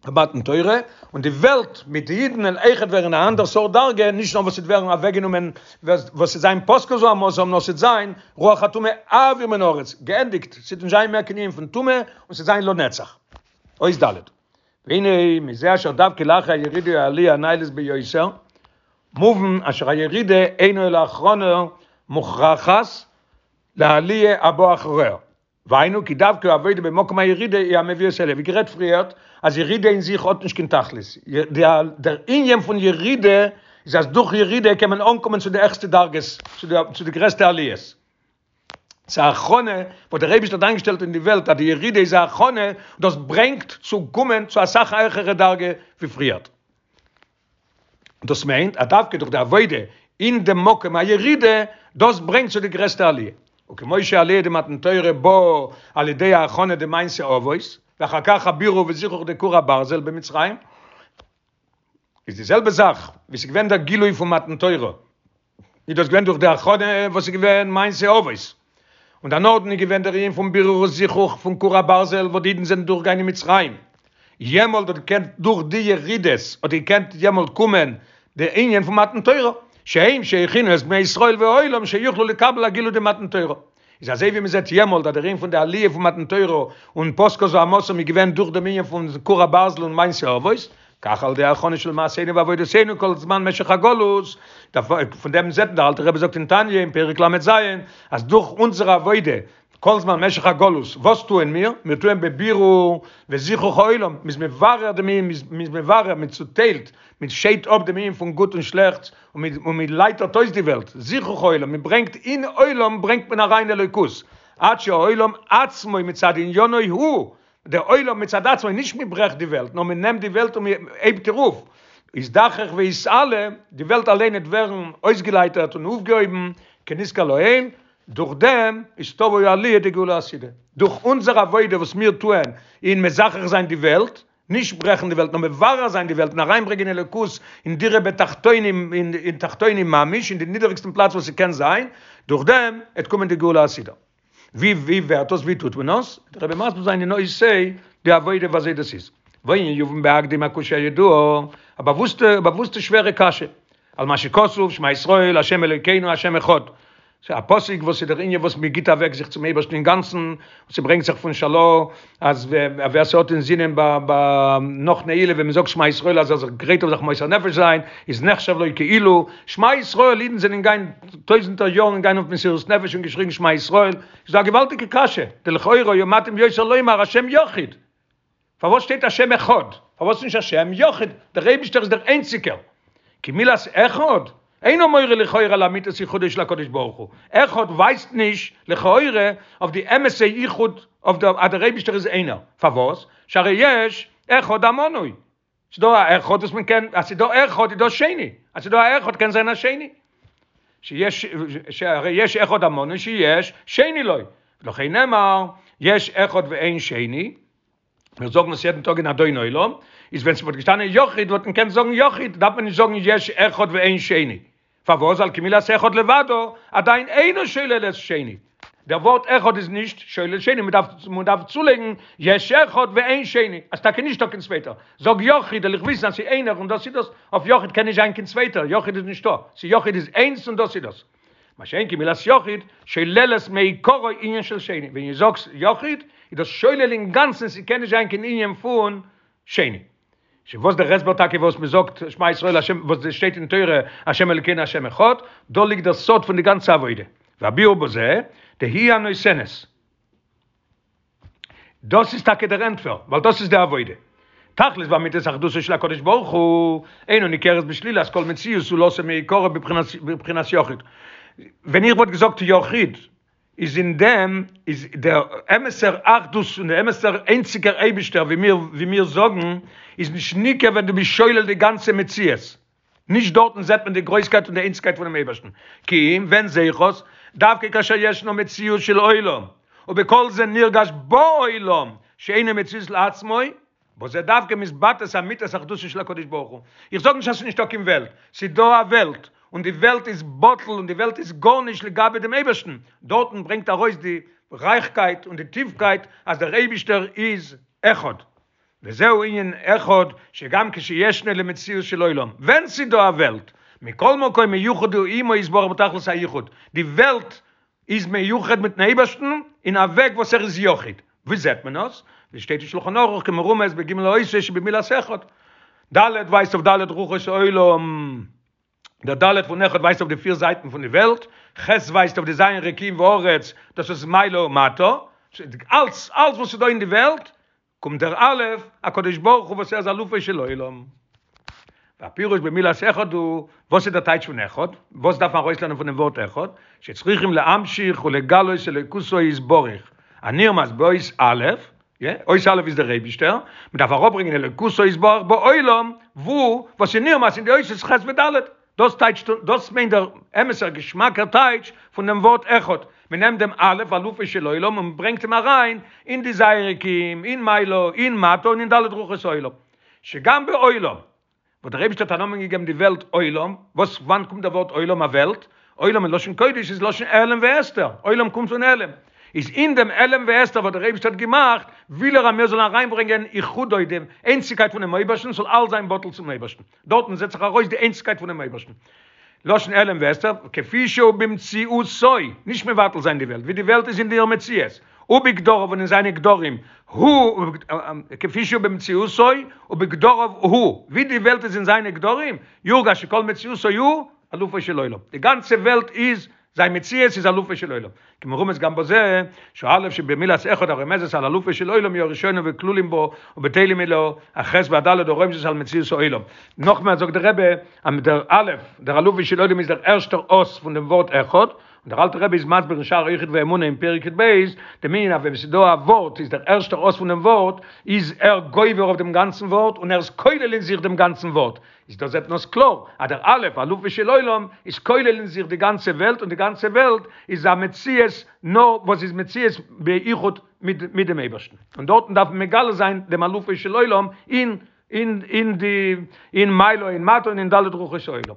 Speaker 1: ביי מתן תורה, און די וועלט מיט די אידן וועלן אויכעט ווערן א אנדער סארט דרגה, נישט נאר וואס ס'וועט ווערן אוועקגענומען וואס ס'וועט זיין פסקה זוהמתם, נאר ס'וועט זיין רוח הטומאה אעביר מן הארץ, געענדיגט, ס'וועט נישט זיין מער קיין ענין פון טומאה, און ס'וועט זיין לנצח. אות ד'. והנה מזה אשר דווקא לאחר הירידה העליה הנעלית ביותר, מובן אשר הירידה אינה אלא הכנה מוכרחת לעליה הבאה אחריה. והיינו כי דווקא העבודה במקום הירידה היא המביאה את העליה. ווי גערעדט פריערט אז ירידה אין זיך האט נישט קיין תכלית. דער ענין פון ירידה איז אז דורך ירידה קען מען אנקומען צו די העכסטע דרגות, צו די גרעסטע עליות. ס'איז א הכנה וואס דער אייבערשטער האט איינגעשטעלט אין די וועלט אז די ירידה איז א הכנה, דאס ברענגט צו קומען צו אסאך א העכערע דרגה ווי פריערט. דאס מיינט אז דווקא דורך די עבודה אין דעם מקום הירידה, דאס ברענגט צו די גרעסטע עליה. וכמו שעליה דמתן תורה באה על ידי ההכנה דמעשה אבות, ואחר כך הבירור וזיכוך דכור הברזל במצרים, איז די זעלבע זאך ווי ס'איז געווען דער גילוי פון מתן תורה, איז דאס געווען דורך די הכנה וואס איז געווען מעשה אבות, און דערנאכדעם איז געווען דער ענין פון בירור וזיכוך פון כור הברזל וואס די אידן זענען דורכגעגאנגען אין מצרים, יעמאלט האט געקענט דורך די ירידות האט געקענט יעמאלט קומען די ענין פון מתן תורה, שהם שהכינו את בני ישראל והעולם שיוכלו לקבל הגילוי דמתן תורה. איז אזוי ווי מ'זעט יעמאלט אז דער ענין פון די עליה פון מתן תורה און פסקה זוהמתם איז געווען דורך דעם ענין פון כור הברזל און מעשה אבות, כך על ידי הכנה של מעשינו ועבודתינו כל זמן משך הגלות, פון דעם זעט מען, דער אלטער רבי זאגט אין תניא אין פרק ל"ז, אז דורך אונזער עבודה כל זמן משך הגלות, וואס טוען מיר? מיר טוען בבירור וזיכוך העולם, מ'איז מברר דעם ענין, מ'איז מברר, מ'צוטיילט, מ'שיידט אפ דעם ענין פון גוט און שלעכטס, און מען לייטערט אויס די וועלט, זיכוך העולם, מען ברענגט אין עולם ברענגט מען אריין אלוקות, עד שהעולם עצמו מצד עניינו הוא, דער עולם מצד עצמו, נישט מען ברעכט די וועלט, נאר מען נעמט די וועלט און מען הייבט איר אויף, יזדכך ויתעלה, די וועלט אליין וועט ווערן אויסגעלייטערט און אויפגעהויבן, כנזכר לעיל, דורך דעם איז תבוא העליה דגאולה העתידה, דורך אונזער עבודה וואס מיר טוען אין מזכך זיין די וועלט, נישט ברעכן די וועלט נאר מברר זיין די וועלט און אריינברענגען אלוקות אין דירה בתחתונים אין תחתונים ממש אין די נידעריגסטן פלאץ וואס ס'קען זיין, דורך דעם עט קומען די גאולה העתידה. ווי ווי ווערט דאס ווי טוט מען עס? וועט דער רבי מסביר זיין אין אות ה' די עבודה ווי אזוי דאס איז. והענין יובן בהקדים הקושיא הידועה, א באוואוסטע באוואוסטע שווערע קשיא על מה שכתוב שמע ישראל ה' אלוקינו ה' אחד. ס'איז א פסוק וואס איז דער ענין וואס מען גיט אוועק זיך צום אייבערשטן אינגאנצן, און ס'ברענגט זיך פון של"ה אז ווער ס'האט אינזינען ביי נאך נעילה ווען מ'זאגט שמע ישראל אז ער איז זיך גרייט אויף זיך מוסר נפש זיין, איז נחשב לו כאילו שמע ישראל, אידן זענען געגאנגען טויזענטער יארן געגאנגען אויף מסירות נפש און געשריגן שמע ישראל, איז דא א געוואלדיגע קשיא, דלכאורה היה מתאים ביותר לומר השם יחיד. פארוואס שטייט השם אחד? פארוואס נישט השם יחיד? דער אייבישטער איז דער איינציגער. כי מילת אחד אינו מורה לכאורה לאמיתת יחודו של הקדוש ברוך הוא. אחד ווייזט נישט לכאורה אויף די אמת'ע יחוד אויף דער אז דער אייבישטער איז איינער. פארוואס? שהרי יש אחד המנוי. ס'דא א אחד וואס מען קען, אז ס'דא אחד איז דא שני, אז ס'דא א אחד קען זיין א שני. שיש, שהרי יש אחד המנוי שיש שני לו. לכן נאמר, יש אחד ואין שני. מיר זאגן עס יעדן טאג אין אדון עולם, איז ווען ס'וואלט געשטאנען יחיד וואלט מען געקענט זאגן יחיד, דארף מען נישט זאגן יש אחד ואין שני. פארוואס? ווייל כי מילת אחד לבדו עדיין אינו שולל את שני. דער ווארט אחד איז נישט שולל שני, מען דארף מען דארף צולייגן יש אחד ואין שני, אז טאקע נישטא קיין צווייטער. זאג יחיד, וועל איך וויסן אז ס'איז איינער און דאס איז דאס, אויף יחיד קען נישט זיין קיין צווייטער, יחיד איז נישטא, ס'איז יחיד איז איינס און דאס איז דאס. מה שאין כן מילת יחיד שוללת מעיקרא ענין של שני, ווען דו זאגסט יחיד איז דאס שולל אינגאנצן ס'קען נישט זיין קיין ענין פון שני. וואס דער הסבר טאקע וואס מען זאגט שמע ישראל השם וואס עס שטייט אין תורה השם אלוקינו השם אחד, דא ליגט דער סוד פון די גאנצע עבודה, והביאור בזה, דהיא הנותנת. דאס איז טאקע דער ענטפער, ווייל דאס איז די עבודה. תכלית ואמיתית אחדותו של הקדוש ברוך הוא אינו ניכרת בשלילת כל מציאות זולתו מעיקרא בבחינת יחיד. ווען איך וואלט געזאגט יחיד, איז אין דעם איז דער אמת'ער אחדות און דער אמת'ער איינציגער אייבישטער ווי מיר ווי מיר זאגן, איז נישט ניכר ווען דו ביסט שולל די גאנצע מציאות. נישט דארטן זעט מען די גרויסקייט און די איינציגקייט פונעם אייבערשטן, כי אם ווען זעה איך עס? דווקא כאשר ישנו מציאות של עולם, ובכל זה נרגש בעולם שאינו מציאות לעצמו, בזה דווקא מתבטאת אמיתת אחדותו של הקדוש ברוך הוא. איך זאג נישט אז ס'איז נישטא קיין וועלט, ס'איז דא א וועלט, און די וועלט איז בטל און די וועלט איז גארנישט לגבי דעם אייבערשטן, דארטן ברענגט ארויס די רייכקייט און די טיפקייט אז דער אייבישטער איז אחד. וזהו ענין אחד שגם כשישנו למציאות של עולם, ווען ס'איז דא א וועלט, מכל מקום מיוחד הוא עמו יתברך בתכלית היחוד, די וועלט איז מיוחד מיטן אייבערשטן אין א וועג וואס ער איז יחיד, ווי זעט מען עס? ווי שטייט אין שלחן ערוך כמרומז בג' אותיות שבמילת אחד, ד' ווייזט אויף ד' רוחות העולם, דער ד' פון אחד ווייזט אויף די פיר זייטן פון די וועלט, ח' ווייזט אויף די ז' רקיעים וארץ, דאס איז מעלה ומטה, אלץ אלץ וואס איז דא אין די וועלט קומט דער א', הקדוש ברוך הוא וואס ער איז אלופו של עולם. והפירוש במילת אחד הוא, וואס איז דער טייטש פון אחד? וואס דארף מען ארויסלערנען פונעם ווארט אחד? שצריכים להמשיך ולגלות אלוקותו יתברך, הנרמז באות א', יא, אות א' איז דער אייבישטער, מען דארף אראפברענגען אלוקותו יתברך בעולם, וואו, וואס איז נרמז אין די אותיות ח' וד'. דאס טייטשט, דאס מיינט דער אמת'ער געשמאקער טייטש פון דעם ווארט אחד, מען נעמט דעם א' אלופו של עולם און מען ברענגט אים אריין אין די ז' רקיעים, אין מעלה, אין מטה און אין ד' רוחות העולם. שגם בעולם, וואס דער אייבישטער האט א נאמען געגעבן די וועלט עולם, וואס וואנט קומט דער ווארט עולם א וועלט? עולם אין לשון קודש איז לשון העלם והסתר, עולם קומט פון העלם. איז אין דעם העלם והסתר וואס דער אייבישטער האט געמאכט, וויל ער אז מיר זאלן אריינברענגען יחודו, די איינציגקייט פונעם אויבערשטן, ס'זאל אלץ זיין בטל צום אויבערשטן. דארטן זעט זיך ארויס די איינציגקייט פונעם אייבערשטן. לשון העלם והסתר, כפי שהוא במציאותו, נישט מבטל זיין די וועלט, ווי די וועלט איז אין איר מציאות, ובגדריו און אין זיינע גדרים, הוא, כפי שהוא במציאותו ובגדריו הוא, ווי די וועלט איז אין זיינע גדרים, יורגש שכל מציאותו הוא אלופו של עולם. די גאנצע וועלט איז זיין מציאות איז אלופו של עולם. כמרומז גם בזה, שהאלף שבמילת אחד הרומזת על אלופו של עולם היא הראשונה וכלולים בו ובטלים אליה, הח' והד' הרומזות על מציאות העולם. נאכמער זאגט דער רבי, אז דער א', דער אלופו של עולם איז דער ערשטער אות פון דעם ווארט אחד, און דער אלטער רבי איז מסביר אין שער היחוד והאמונה אין פרק י"ב, דעם ענין אז ווען ס'איז דא א ווארט איז דער ערשטער אות פון דעם ווארט איז ער גובר אויף דעם גאנצן ווארט און ער איז כולל אין זיך דעם גאנצן ווארט, איז דא זעט מען עס קלאר אז דער א' אלופו של עולם איז כולל אין זיך די גאנצע וועלט און די גאנצע וועלט איז א מציאות נאר וואס איז מציאות ביחוד מיט מיט דעם אייבערשטן און דארטן דארף מען מגלה זיין דעם אלופו של עולם אין אין אין די אין מעלה אין מטה און אין ד' רוחות העולם.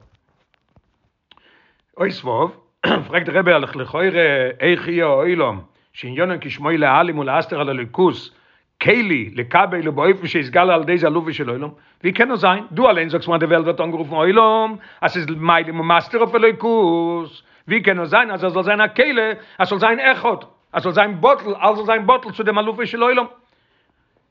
Speaker 1: אות ו', פרעגט דער רבי לכאורה איך יהיה העולם שעניינו כשמו להעלים ולהסתיר על אלוקות כלי לקבל ובאופן שיתגלה על ידי זה אלופו של עולם, ווי קען עס זיין? דו אליין זאגסט מיר אז די וועלט ווערט אנגערופן עולם, אז ס'איז מעלים ומסתיר אויף אלוקות, ווי קען עס זיין אז ער זאל זיין א כלי, אז ס'זאל זיין אחד, אז ס'זאל זיין בטל, אלס זאל זיין בטל צו דעם אלופו של עולם?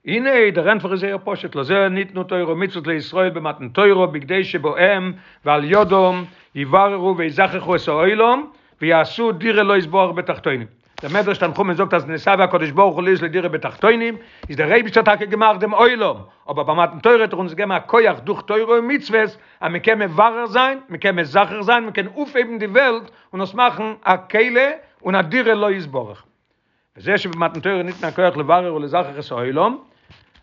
Speaker 1: הנה, דער ענטפער איז זייער פשוט, לזה ניתנו תורה ומצוות לישראל במתן תורה בכדי שבהם ועל ידם יבררו ויזככו את העולם ויעשו דירה לו יתברך בתחתונים. דער מדרש תנחומא זאגט אז נתאוה הקדוש ברוך הוא להיות לו דירה בתחתונים, איז דער אייבישטער טאקע געמאכט דעם עולם, אבער ביי מתן תורה האט ער אונז געגעבן א כח דורך תורה און מצוות אז מען קען מברר זיין, מען קען מזכך זיין, מען קען אויפהייבן די וועלט און עס מאכן א כלי און א דירה לו יתברך. וזה שבמתן תורה ניתן הכח לברר ולזכך את העולם,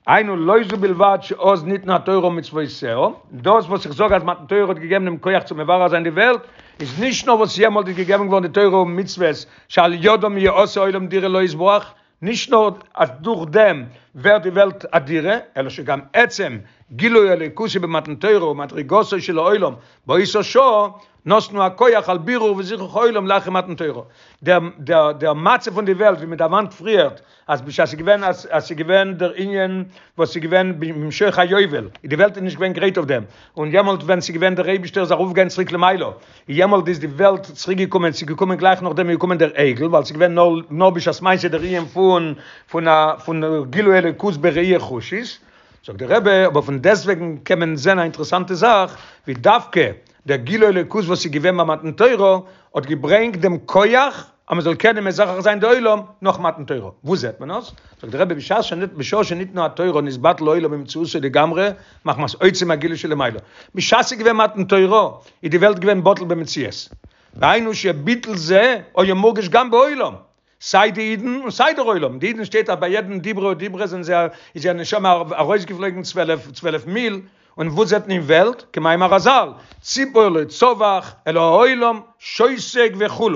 Speaker 1: היינו לא זו בלבד שאז ניתנה התורה ומצוותיה, דאס וואס איך זאג אז מתן תורה האט געגעבן דעם כח צו מברר זיין די וועלט, איז נישט נאר וואס יעמאלט איז געגעבן געווארן די תורה און מצוות שעל ידם יעשה העולם דירה לו יתברך, נישט נאר אז דורך דעם ווערט די וועלט א דירה, אלא שגם עצם גילוי אלוקות שבמתן תורה ומדרגתו של העולם באותה שעה נתנו הכח על בירור וזיכוך העולם לאחר מתן תורה. דער דער דער מצב פון די וועלט ווי מען דערמאנט פריערט אז בשעת ס'איז געווען אז אז ס'איז געווען דער ענין וואס ס'איז געווען במשוך היובל איז די וועלט איז נישט געווען גרייט אויף דעם, און יעמאלט ווען ס'איז געווען דער אייבישטער איז ארויפגעגאנגען צוריק למעלה, יעמאלט איז די וועלט צוריק געקומען, ס'איז געקומען גלייך נאכדעם איז געקומען דער עגל, ווייל ס'איז געווען נאר נאר בשעת מעשה דער ענין פון פון א פון גילוי אלוקות בראי' חושית, זאגט דער רבי, אבער פון דעסטוועגן קען מען זען א אינטערעסאנטע זאך, ווי דווקא דער גילוי אלוקות וואס איז געווען ביי מתן תורה האט געברענגט דעם כח אז מען זאל קענען מזכך זיין די עולם נאך מתן תורה, וואו זעט מען עס? זאגט דער רבי בשעת שנ בשעה שניתנה התורה נתבטל העולם ממציאותו לגמרי מחמת עוצם הגילוי שלמעלה, בשעת ס'איז געווען מתן תורה איז די וועלט געווען בטל במציאות, והיינו שביטול זה היה מורגש גם בעולם, סיי די אידן און סיי דער עולם, די אידן שטייט אז ביי יעדן דיברא ודיברא זענען זיי איז זייער נשמה ארויסגעפלויגן צוועלף צוועלף מיל, און וואס זעט מען אין וועלט, כמאמר רז"ל, ציפור לא צווח אלא העולם שותק וכו',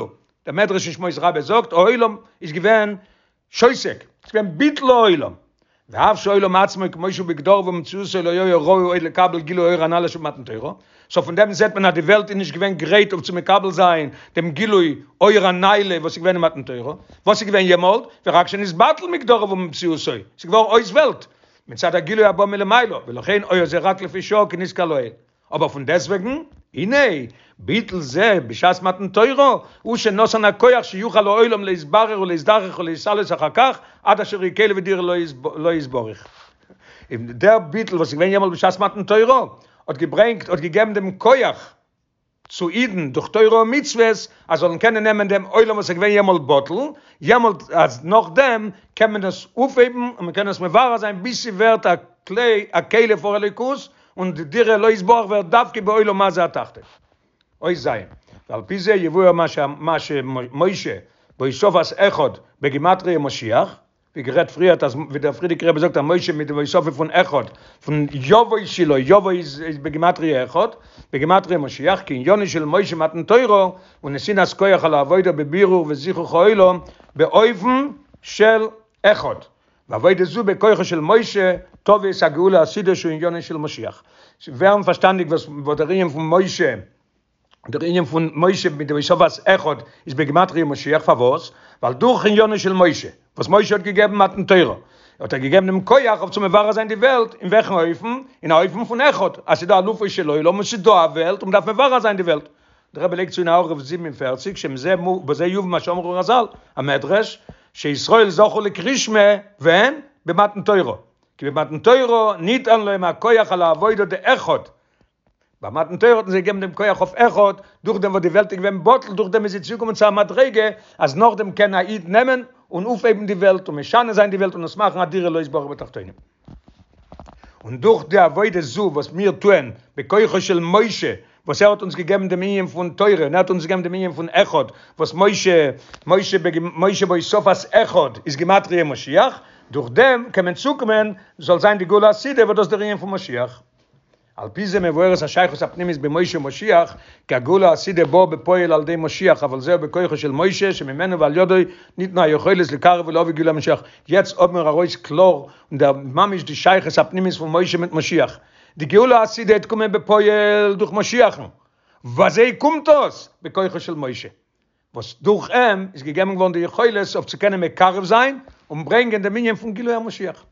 Speaker 1: דער מדרש אין שמות רבה זאגט העולם איז געווען שותק, ס'איז געווען ביטול העולם, ואף שהעולם עצמו כמו שהוא בגדרו ומציאותו לא היה ראוי עוד לקבל גילוי אור הנעלה שבמתן תורה, סאו פון דעם זעט מען אז די וועלט איז נישט געווען גרייט אויף צו מקבל זיין דעם גילוי אור הנעלה וואס איז געווען אין מתן תורה, וואס איז געווען יעמאלט, ורק שנתבטל מגדרו ומציאותו, ס'איז געווארן אויס וועלט, מצד הגילוי הבא מלמעלה, ולכן היה זה רק לפי שעה כנזכר לעיל. אבער פון דעסוועגן, הנה, ביטול זה בשעת מתן תורה, הוא שנתן הכח שיוכל העולם להתברר ולהזדכך ולהתעלות אחר כך, עד אשר יהיה כלי ודירה לו יתברך. דער ביטול וואס איז געווען יעמאלט בשעת מתן תורה, האט געברענגט, האט געגעבן דעם כח צו אידן דורך תורה ומצוות, אז זאלן קענען נעמען דעם עולם וואס איז געווען יעמאלט בטל, יעמאלט אז נאכדעם קען מען עס אויפהייבן און מען קען עס מברר זיין ביז ס'ווערט א כלי, א כלי פאר אלוקות, און די דירה לו יתברך ווערט דווקא בעולם הזה התחתון. אות ז', ועל פי זה יבואר מה שמשה בהוספת אחד בגימטריא משיח, ווי גערעדט פריערט אז ווי דער פריערדיגער רבי זאגט אז משה מיט די הוספה פון אחד פון יבוא שילה יבוא איז איז בגימטריא אחד בגימטריא משיח כי עניינו של משה מתן תורה ונתינת כח על העבודה בבירור וזיכוך העולם באופן של אחד ועבודה זו בכוחו של משה תביא את הגאולה העתידה שהוא עניינו של משיח. ס'ווערן פארשטאנדיג וואס וואס דער ענין פון משה, דער ענין פון משה מיט די הוספת אחד איז בגימטריא משיח, פארוואס? ווייל דורך עניינו של משה, וואס משה האט געגעבן מתן תורה, האט ער געגעבן דעם כח אויף צו מברר זיין די וועלט, אין וועלכן אופן? אין א אופן פון אחד, אז ס'איז דא אלופו של עולם און ס'איז דא א וועלט און מ'דארף מברר זיין די וועלט. דער רבי לייגט צו אין הערה 47 שמזה בזה יובן מה שאמרו רז"ל, המדרש, שישראל זכו לקרישמע, ווען? במתן תורה. כי במתן תורה ניתן להם הכח על העבודה דאחד. ביי מתן תורה האט מען זיי געגעבן דעם כח אויף אחד, דורך דעם וואס די וועלט איז געווען בטל, דורך דעם איז זי צוגעקומען צו א מדריגה, אז נאכדעם קען א איד נעמען און אויפהייבן די וועלט און משנה זיין די וועלט און עס מאכן א דירה לו יתברך בתחתונים. און דורך די עבודה זו וואס מיר טוען בכוחו של משה, וואס ער האט אונז געגעבן דעם ענין פון תורה, און ער האט אונז געגעבן דעם ענין פון אחד, וואס משה, משה משה בהוספת אחד איז גימטריא משיח, דורך דעם קען מען צוקומען זאל זיין די גאולה העתידה וואס דאס איז דער ענין פון משיח. על פי זה מבוארת השייכות הפנימית במשה ומשיח, כי הגאולה העתידה באה בפועל על ידי משיח, אבל זהו בכוחו של משה שממנו ועל ידו ניתנה היכולת לקרב ולהביא גילוי המשיח. יעצט האבן מיר ארויס קלאר און דער ממש די שייכות הפנימית פון משה מיט משיח. די גאולה העתידה העט קומען בפועל דורך משיח'ן. וויאזוי קומט דאס? בכוחו של משה. וואס דורך אים איז געגעבן געווארן די יכולת אויף צו קענען מקרב זיין און ברענגען דעם ענין פון גילוי המשיח.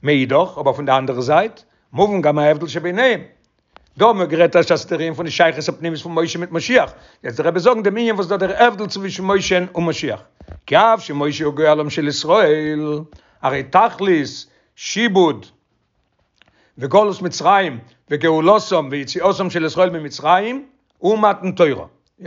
Speaker 1: מאידך, אבער פון די אנדערע זייט, מובן גם ההבדל שביניהם. דא האבן מיר גערעדט אז ס'איז דער ענין פון די שייכות הפנימית פון משה מיט משיח, יעצט דער רבי זאגן דעם ענין וואס דא דער הבדל צווישן משה און משיח. כי אף שמשה הוא גואלם של ישראל, הרי תכלית שעבוד וגלות מצרים וגאולתם ויציאתם של ישראל ממצרים הוא מתן תורה.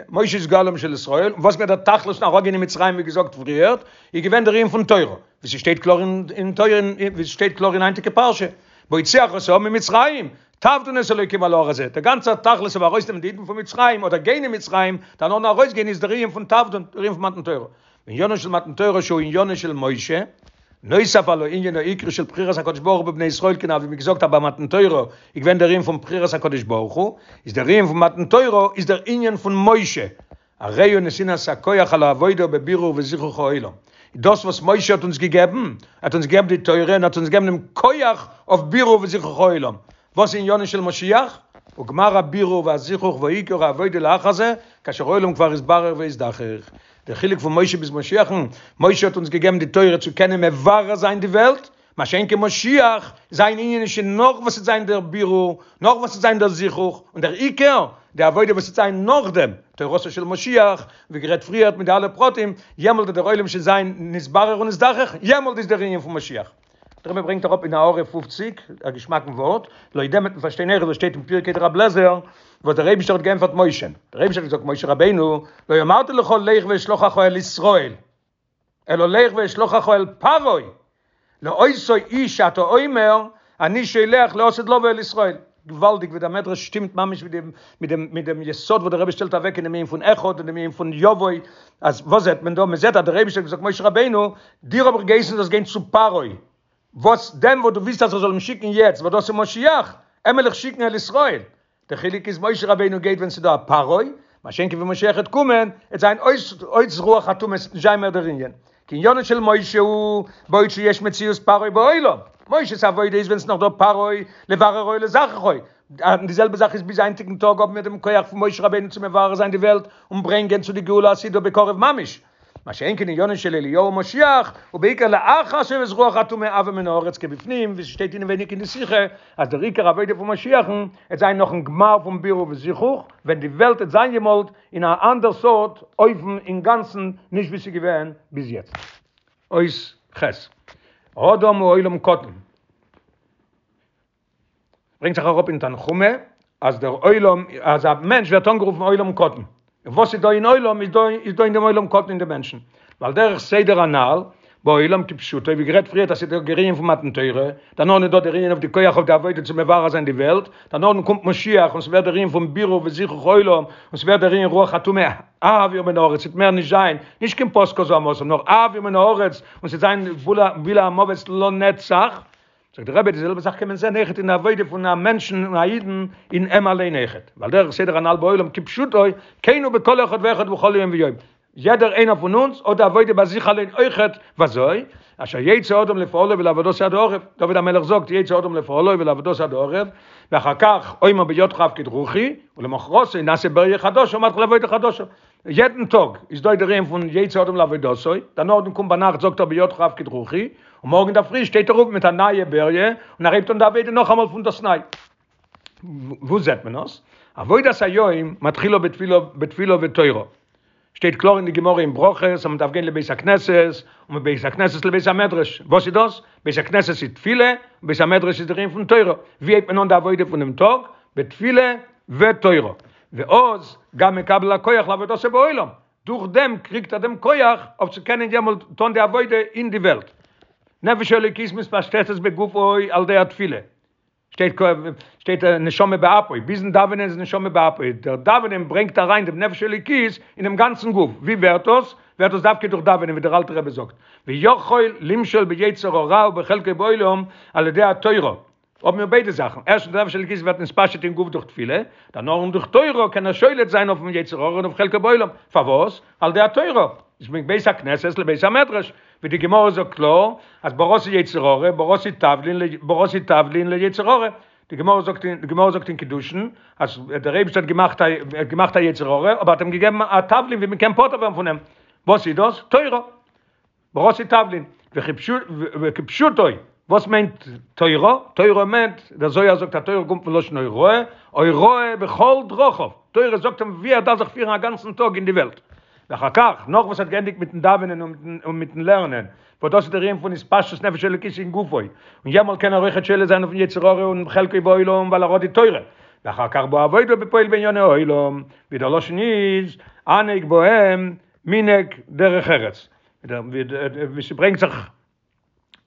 Speaker 1: משה איז גואלם של ישראל, און וואס געווען דער תכלית פון אראפגיין אין מצרים ווי געזאגט פריערט, איז געווען דער ענין פון תורה, ווי ס'שטייט קלאר אין תורה, ווי ס'שטייט קלאר אין היינטיגע פרשה, בהוציאך את העם ממצרים, תעבדון את האלוקים על ההר הזה, דער גאנצער תכלית אויף ארויסנעמען די אידן פון מצרים אדער גיין אין מצרים, דערנאך ארויסגיין איז דער ענין פון תעבדון, דער ענין פון מתן תורה. ועניינו של מתן תורה שהוא עניינו של משה, נוסף על העניין העיקרי של בחירת הקדוש ברוך הוא בבני ישראל כנ"ל ווי מ'האט געזאגט אז ביי מתן תורה איז געווען דער ענין פון בחירת הקדוש ברוך הוא, איז דער ענין פון מתן תורה איז דער ענין פון משה, הרי הוא נתינת הכח על העבודה בבירור וזיכוך העולם, דאס וואס משה האט אונז געגעבן, ער האט אונז געגעבן די תורה און האט אונז געגעבן דעם כח אויף בירור וזיכוך העולם, וואס איז עניינו של משיח? וגמר הבירור והזיכוך ועיקר העבודה לאחר זה, כאשר העולם כבר יתברר ויזדכך. דער חילוק פון משה ביז משיח'ן, משה האט אונז געגעבן די תורה צו קענען מברר זיין די וועלט, מה שאין כן משיח, זיין ענין איז שוין נאך וואס ס'וועט זיין דער בירור, נאך וואס ס'וועט זיין דער זיכוך, און דער עיקר, די עבודה וואס וועט זיין נאכדעם, תורתו של משיח, ווי גערעדט פריערט מיט די אלע פרטים, יעמאלט וועט דער עולם שוין זיין נתברר ונזדכך, יעמאלט איז דער ענין פון משיח. דער רבי ברענגט אראפ אין הערה פופציק א געשמאקן ווארט, לויט דעם וועט מען פארשטיין אויך וואס שטייט אין פרקי דרבי אליעזר, וואס דער אייבישטער האט געענטפערט משה, דער אייבישטער האט געזאגט משה רבינו, לא אמרתי לך לך ואשלחך אל ישראל, אלא לך ואשלחך אל פרעה, לאותו איש שאתה אומר, אני שולח לעתיד לבוא אל ישראל. געוואלדיג ווי דער מדרש שטימט ממש מיט דעם מיט דעם מיט דעם יסוד וואס דער רבי שטעלט אוועק אין דעם ענין פון אחד און דעם ענין פון יבוא, אז וואס זעט מען דא? מען זעט אז דער אייבישטער האט געזאגט משה רבינו, דיר האב איך געהייסן זאלסט גיין צו פרעה, וואס דעם וואס דו ווילסט אז איך זאל אים שיקן יעצט, וואס דאס איז משיח, אים וועל איך שיקן אל ישראל. דער חילוק איז משה רבינו גייט ווען ס'איז דא א פרעה, מה שאין כן ווען משיח וועט קומען, וועט זיין אויס אויס רוח הטומאה, ס'וועט נישט זיין מער דער ענין. כי עניינו של משה הוא בעוד שיש מציאות פרעה בעולם, משה'ס עבודה איז ווען ס'איז נאך דא פרעה לבררו ולזככו, און די זעלבע זאך איז ביז היינטיגן טאג האבן מיר דעם כח פון משה רבינו צו מברר זיין די וועלט און ברענגען צו די גאולה העתידה בקרוב ממש, מה שאין כן עניינו של אליהו משיח הוא בעיקר לאחר שהיות רוח הטומאה אויר מן הארץ כבפנים, ווי ס'שטייט אינעווייניג אין די שיחה אז דער עיקר עבודה פון משיח'ן עט זיין נאכן גמר פון בירור וזיכוך ווען די וועלט עט זיין יעמאלט אין א אנדער סארט אופן אינגאנצן נישט ווי ס'איז געווען ביז יעצט. אות ח'. האדם הוא עולם קטן. ברענגט זיך אראפ אין תנחומא אז דער עולם אז א מענטש ווערט אנגערופן עולם קטן. און וואס איז דא אין עולם איז דא איז דא אין דעם עולם קטן אין די מענטשן. ועל דרך סדר הנ"ל בעולם כפשוטו, ווי גערעדט פריערט אז ס'איז דא דער ענין פון מתן תורה, דערנאך איז דא דער ענין אויף די כח אויף די עבודה צו מברר זיין די וועלט, דערנאך קומט משיח און ס'ווערט דער ענין פון בירור וזיכוך העולם, און ס'ווערט דער ענין רוח הטומאה אויר מן הארץ, ס'וועט מער נישט זיין, נישט קיין פסקה זוהמתם, נאר אויר מן הארץ, און ס'וועט זיין בלע המוות לנצח. זאגט דער רבי די זעלבע זאך קען מען זען אויכעט אין די עבודה פון א מענטשן און א אידן אין אים אליין אויכעט, ועל דרך סדר הנ"ל בעולם כפשוטו, כן הוא בכל אחד ואחד בכל יום ויום, יעדער איינער פון אונז האט די עבודה ביי זיך אליין אויכעט, וואזוי? אשר יצא האדם לפעלו ולעבודתו עד הערב, דוד המלך זאגט יצא האדם לפעלו ולעבודתו עד הערב, ואחר כך אומר בידך אפקיד רוחי, ולמחרתו נעשה בריה חדשה ומתחיל עבודה חדשה. יעדן טאג איז דא דער ענין פון יצא האדם לעבודתו, דערנאכדעם קומט ביינאכט זאגט ער בידך אפקיד רוחי, און מארגן אינדערפרי שטייט ער אויף מיט א נייע בריה און ער הייבט אן די עבודה נאכאמאל פון דאסניי. וואו זעט מען עס? עבודת היום מתחילה בתפילה בתפילה ותורה. שטייט קלאר אין די גמרא אין ברכות אז מען דארף גיין לבית הכנסת און מבית הכנסת לבית המדרש. וואס איז דאס? בית הכנסת איז תפילה און בית המדרש איז דער ענין פון תורה. ווי הייבט מען אן די עבודה פונעם טאג? בתפילה ותורה. ואז גם מקבל הכח לעבודתו בעולם, דורך דעם קריגט ער דעם כח אויף צו קענען יעמאלט טון די עבודה אין די וועלט. נפש האלוקית מתפשטת בגופו על ידי התפילה. שטייט שטייט נשמה באפו, ביזן דאווענען איז נשמה באפו, דער דאווענען ברענגט אריין דעם נפש האלוקית אינעם גאנצן גוף, ווי ווערט דאס? ווערט דאס דווקא דורך דאווענען ווי דער אלטער רבי זאגט, ויכול למשול ביצר הרע ובחלקו בעולם על ידי התורה, האבן מיר ביידע זאכן, ערשטנס די נפש האלוקית ווערט נתפשט אין גוף דורך תפילה, דערנאך דורך תורה קען ער שולט זיין אויפן יצר הרע און אויף חלקו בעולם, פארוואס? על ידי התורה, איז מבית הכנסת לבית המדרש, ווי די גמרא זאגט קלאר אז בראתי יצר הרע בראתי תבלין בראתי תבלין ליצר הרע, די גמרא זאגט אין די גמרא זאגט אין קידושין אז דער אייבערשטער האט געמאכט א האט געמאכט א יצר הרע אבער האט אים געגעבן א תבלין ווי מען קען פטור ווערן פון אים, וואס איז דאס? תורה. בראתי תבלין, וכפשוטו. וואס מיינט תורה? תורה מיינט, דער זוהר זאגט אז תורה קומט פון לשון הוראה, הוראה בכל דרכיו, תורה זאגט אים ווי ער דארף זיך פירן א גאנצן טאג אין די וועלט. ואחר כך, נאך וואס ער האט געענדיגט מיטן דאווענען און מיטן לערנען, וואס דאס איז דער ענין פון התפשטות נפש אלוקית אין גופו, און יעמאלט קען ער אויכעט שולט זיין אויפן יצר הרע און חלקו בעולם ווייל ער האט די תורה, ואחר כך בא עבודה בפועל בענייני העולם, ווי דער לשון איז, הנהג בהם מנהג דרך ארץ, ווי ס'ברענגט זיך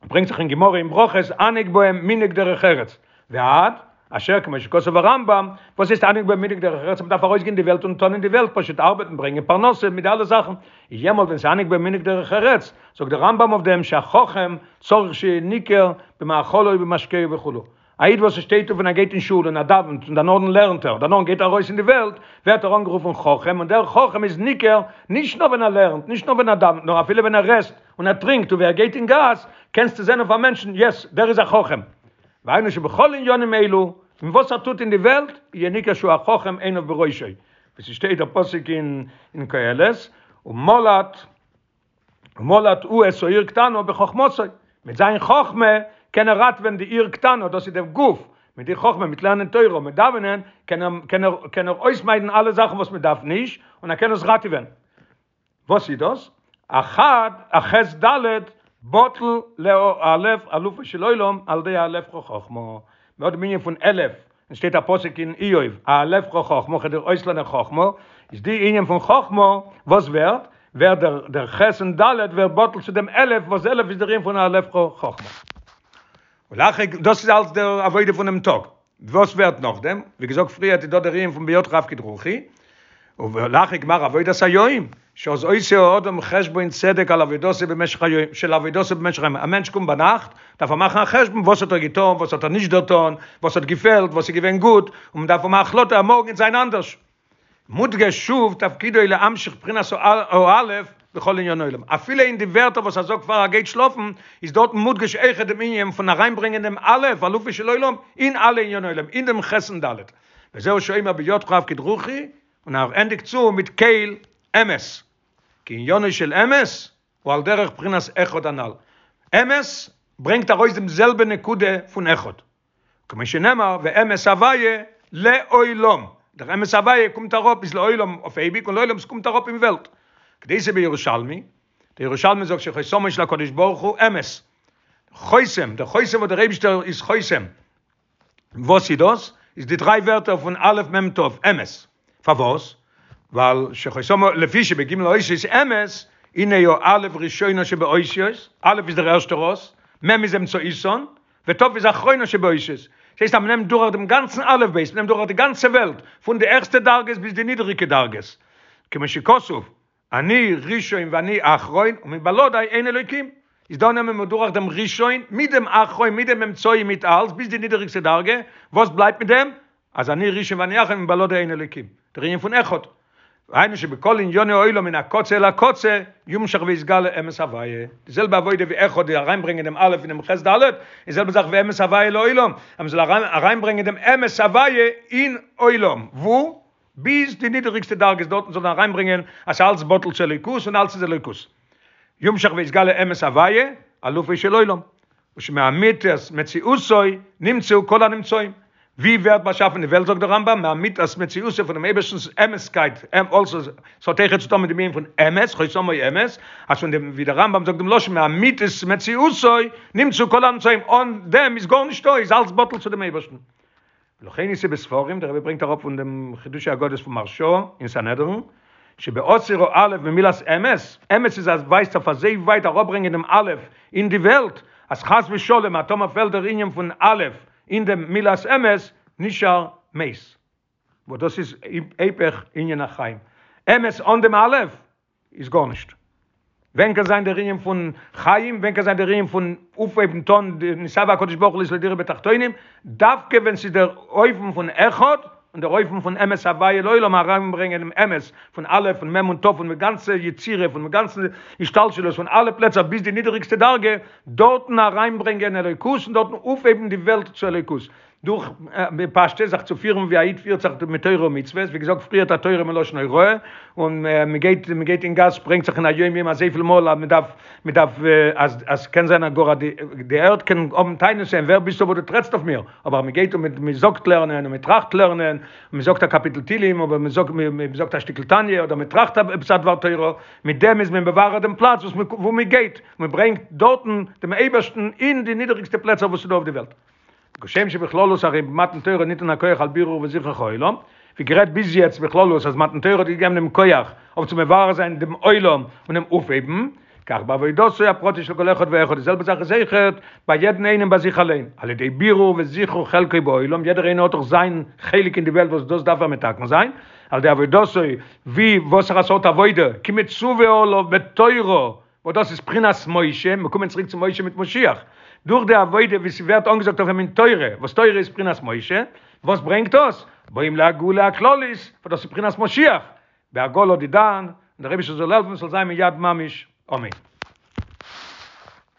Speaker 1: ברענגט זיך אין גמרא אין ברכות הנהג בהם מנהג דרך ארץ, ועד אשר כמו שכתב הרמב"ם, וואס הייסט הנהג בהם מנהג דרך ארץ, מ'דארף ארויסגיין אין די וועלט און טון אין די וועלט, פשוט ארבעטן, ברענגען פרנסה, מיט די אלע זאכן, יעמאלט ווען ס'איז הנהג בהם מנהג דרך ארץ, זאגט דער רמב"ם אויף דעם שהחכם צריך שיהיה ניכר במאכלו ובמשקהו וכו', א איד וואס שטייט אויף און ער גייט אין שול און ער דאווענט און דערנאכדעם לערנט ער, דערנאכדעם גייט ער ארויס אין די וועלט, ווערט ער אנגערופן חכם, און דער חכם איז ניכר נישט נאר ווען ער לערנט, נישט נאר ווען ער דאווענט, נאר אפילו ווען ער עסט און ער טרינקט און ווי ער גייט אין גאס, קענסטו זען אויף א מענטשן, יעס, דער איז א חכם. והיינו שבכל עניינים אלו, אין וואס ער טוט אין די וועלט, יהיה ניכר שהוא החכם עיניו בראשו, ווי ס'שטייט דער פסוק אין קהלת, ומלט ומלט הוא את העיר קטנה בחכמתו, מיט זיין חכמה קען ער ראטווען די עיר קטנה, דאס איז דער גוף, מיט די חכמה, מיט לערנען תורה און מיט דאווענען, קען ער קען ער קען ער אויסמיידן אלע זאכן וואס מען דארף נישט, און ער קען עס ראטעווען. וואס איז דאס? החד הח' ד' בטל לאלף אלופו של עולם על ידי אאלפך חכמה, מען האט דעם ענין פון אלף, עס שטייט א פסוק אין איוב, אאלפך חכמה, כ'וועל דיר אויסלערנען חכמה, איז די ענין פון חכמה, וואס ווערט? ווערט דער דער ח' און ד' ווערט בטל צו דעם אלף, וואס אלף איז דער ענין פון אאלפך חכמה. ולאחר, דאס איז אלץ דער עבודה פונעם טאג. וואס ווערט נאכדעם? ווי געזאגט פריערט איז דא דער ענין פון בידך אפקיד רוחי, ולאחר גמר עבודת היום, שאז עושה האדם חשבון צדק על עבודתו במשך היום, של עבודתו במשך היום, א מענטש קומט ביינאכט, דארף ער מאכן א חשבון וואס האט ער געטון, וואס האט ער נישט דערטון, וואס האט געפעלט, וואס איז געווען גוט, און מען דארף האבן א החלטה אז מארגן וועט זיין אנדערש. מודגש שוב תפקידו להמשיך בחינת האלף בכל עניני עולם, אפילו אין די ווערטער וואס ער זאגט פאר ער גייט שלאפן, איז דארטן מודגש אויכעט דעם ענין פון אריינברענגען דעם אלף, אלופו של עולם, אין אלע עניני עולם, אין דעם ח' און ד'. וזהו שאומר בידך אפקיד רוחי, און ער ענדיגט צו מיט קל אמת, כי עניינו של אמת הוא על דרך בחינת אחד הנ"ל, אמת ברענגט ארויס דעם זעלבע נקודה פון אחד, כמו שנאמר ואמת הוויה לעולם, דער אמת הוויה קומט אראפ איז לעולם אויף אייביג און לעולם ס'קומט אראפ אין וועלט, כדאיתא בירושלמי, דער ירושלמי זאגט שחותמו של הקדוש ברוך הוא אמת, חותם, דער חותם וואס דער אייבישטער איז חותם, וואס איז דאס? איז די דריי ווערטער פון א' מ' ת', אמת. פארוואס? ווייל שחותמו לפי שבג' אותיות אמת, הנה הא' ראשונה שבאותיות, א' איז דער ערשטער אות, מ' איז אמצעיתן, ות' איז אחרונה שבאותיות. דאס הייסט אז מ'נעמט דורך דעם גאנצן אלף בית, מ'נעמט דורך די גאנצע וועלט, פון די העכסטע דרגות ביז די נידעריגע דרגות. כמו שכתוב, אני ראשון ואני אחרון ומבלעדי אין אלוקים, איז דא נעמען מיר דורך דעם ראשון מיט דעם אחרון מיט דעם אמצעי מיט אלס ביז די נידעריגסטע דרגה, וואס בלייבט מיט דעם? אז אני ראשון ואני אחרון ומבלעדי אין אלוקים, דער ענין פון אחד, והיינו שבכל ענייני העולם מן הקצה אל הקצה יומשך ויתגלה אמת הוויה, די זעלבע עבודה ווי אחד די אריינברענגען דעם א' אינעם ח' ד', די זעלבע זאך ווי אמת הוויה לעולם, אז מען זאל אריינברענגען דעם אמת הוויה אין עולם, וואו? ביז די נידעריגסטע דרגות דארטן זאל מען אריינברענגען אז ס'אלץ בטל צו אלוקות און אלץ איז אלוקות. יומשך ויתגלה אמת הוויה, אלופו של עולם, ושמאמיתת מציאותו נמצאו כל הנמצאים. ווי ווערט באשאפן די וועלט זאגט דער רמב"ם, מאמיתת מציאותו פונעם אייבערשטנ'ס אמת'קייט, אלזא ס'האט אויכעט צו טון מיט דעם ענין פון אמת, חותמו אמת, אז פון דעם ווי דער רמב"ם זאגט דעם לשון מאמיתת מציאותו נמצאו כל הנמצאים, אן דעם איז גארנישטא, איז אלץ בטל צו דעם אייבערשטן. ולכן איתא בספרים, דער רבי ברענגט אראפ פון דעם חידושי אגדות פון מהרש"א אין סנהדרין, שבהסיר האלף ממילת אמת, אמת איז אז ווייזט אויף אזוי ווייט אראפברענגען דעם אלף אין די וועלט, אז חס ושלום אז טאמער פעלט דער ענין פון אלף אין דעם מילת אמת, נשאר מת. וואס דאס איז היפך ענין החיים. אמת אן דעם אלף איז גארנישט. ווען קען זיין דער ענין פון חיים, ווען קען זיין דער ענין פון אויפהייבן טון די נתאוה הקדוש ברוך הוא להיות לו דירה בתחתונים, דווקא ווען ס'איז דער אופן פון אחד, און דער אופן פון אמת הוויה לעולם אריינברענגען דעם אמת פון א' און מ' און ת' פון די גאנצע יצירה, פון די גאנצע השתלשלות פון אלע פלעצער ביז די נידעריגסטע דרגה, דארטן אריינברענגען אלוקות און דארטן אויפהייבן די וועלט צו אלוקות. דורך בפשטות זיך צו פירן ווי א איד פירט זיך מיט תורה ומצוות, ווי געזאגט פריערט א תורה מלשון הוראה, און מען גייט מען גייט אין גאס ברענגט זיך אין היום יום אזויפיל מאל אז מען דארף מען דארף אז אז קען זיין אז גאר די די ערד קען האבן טענות און ווער ביסטו וואס דו טרעטסט אויף מיר, אבער מען גייט און מען זאגט לערנען און מען טראכט לערנען, און מען זאגט א קאפיטל תהילים אדער מען זאגט מען זאגט א שטיקל תניא אדער מען טראכט עפעס א דבר תורה, מיט דעם איז מען מברר דעם פלאץ וואס מען וואו מען גייט, מען ברענגט דארטן דעם אייבערשטן אין די נידעריגסטע פלעצער וואס איז דא אויף די וועלט. כשם שבכללות הרי במתן תורה ניתן הכח על בירור וזיכוך העולם, ווי גערעדט ביז יעצט בכללות אז מתן תורה האט געגעבן דעם כח אויף צו מברר זיין דעם עולם און אים אויפהייבן, כך בעבודתו הפרטית של כל אחד ואחד, די זעלבע זאך איז אויכעט ביי יעדן איינעם ביי זיך אליין, על ידי בירור וזיכוך חלקו בעולם, יעדער איינער האט דאך זיין חלק אין די וועלט וואס דאס דארף ער מתקן זיין, על ידי עבודתו, ווי וואסערע סארט עבודה, כמצווה עליו בתורה, וואס דאס איז בחינת משה, מיר קומען צוריק צו משה מיט משיח, דורך די עבודה ווי ס'ווערט אנגעזאגט אויף אים אין תורה, וואס תורה איז בחינת משה, וואס ברענגט דאס? באים לגאולה הכללית, וואס דאס איז בחינת משיח, בעגלא דידן, און דער אייבישטער זאל העלפן ס'זאל זיין מיד ממש, אמן.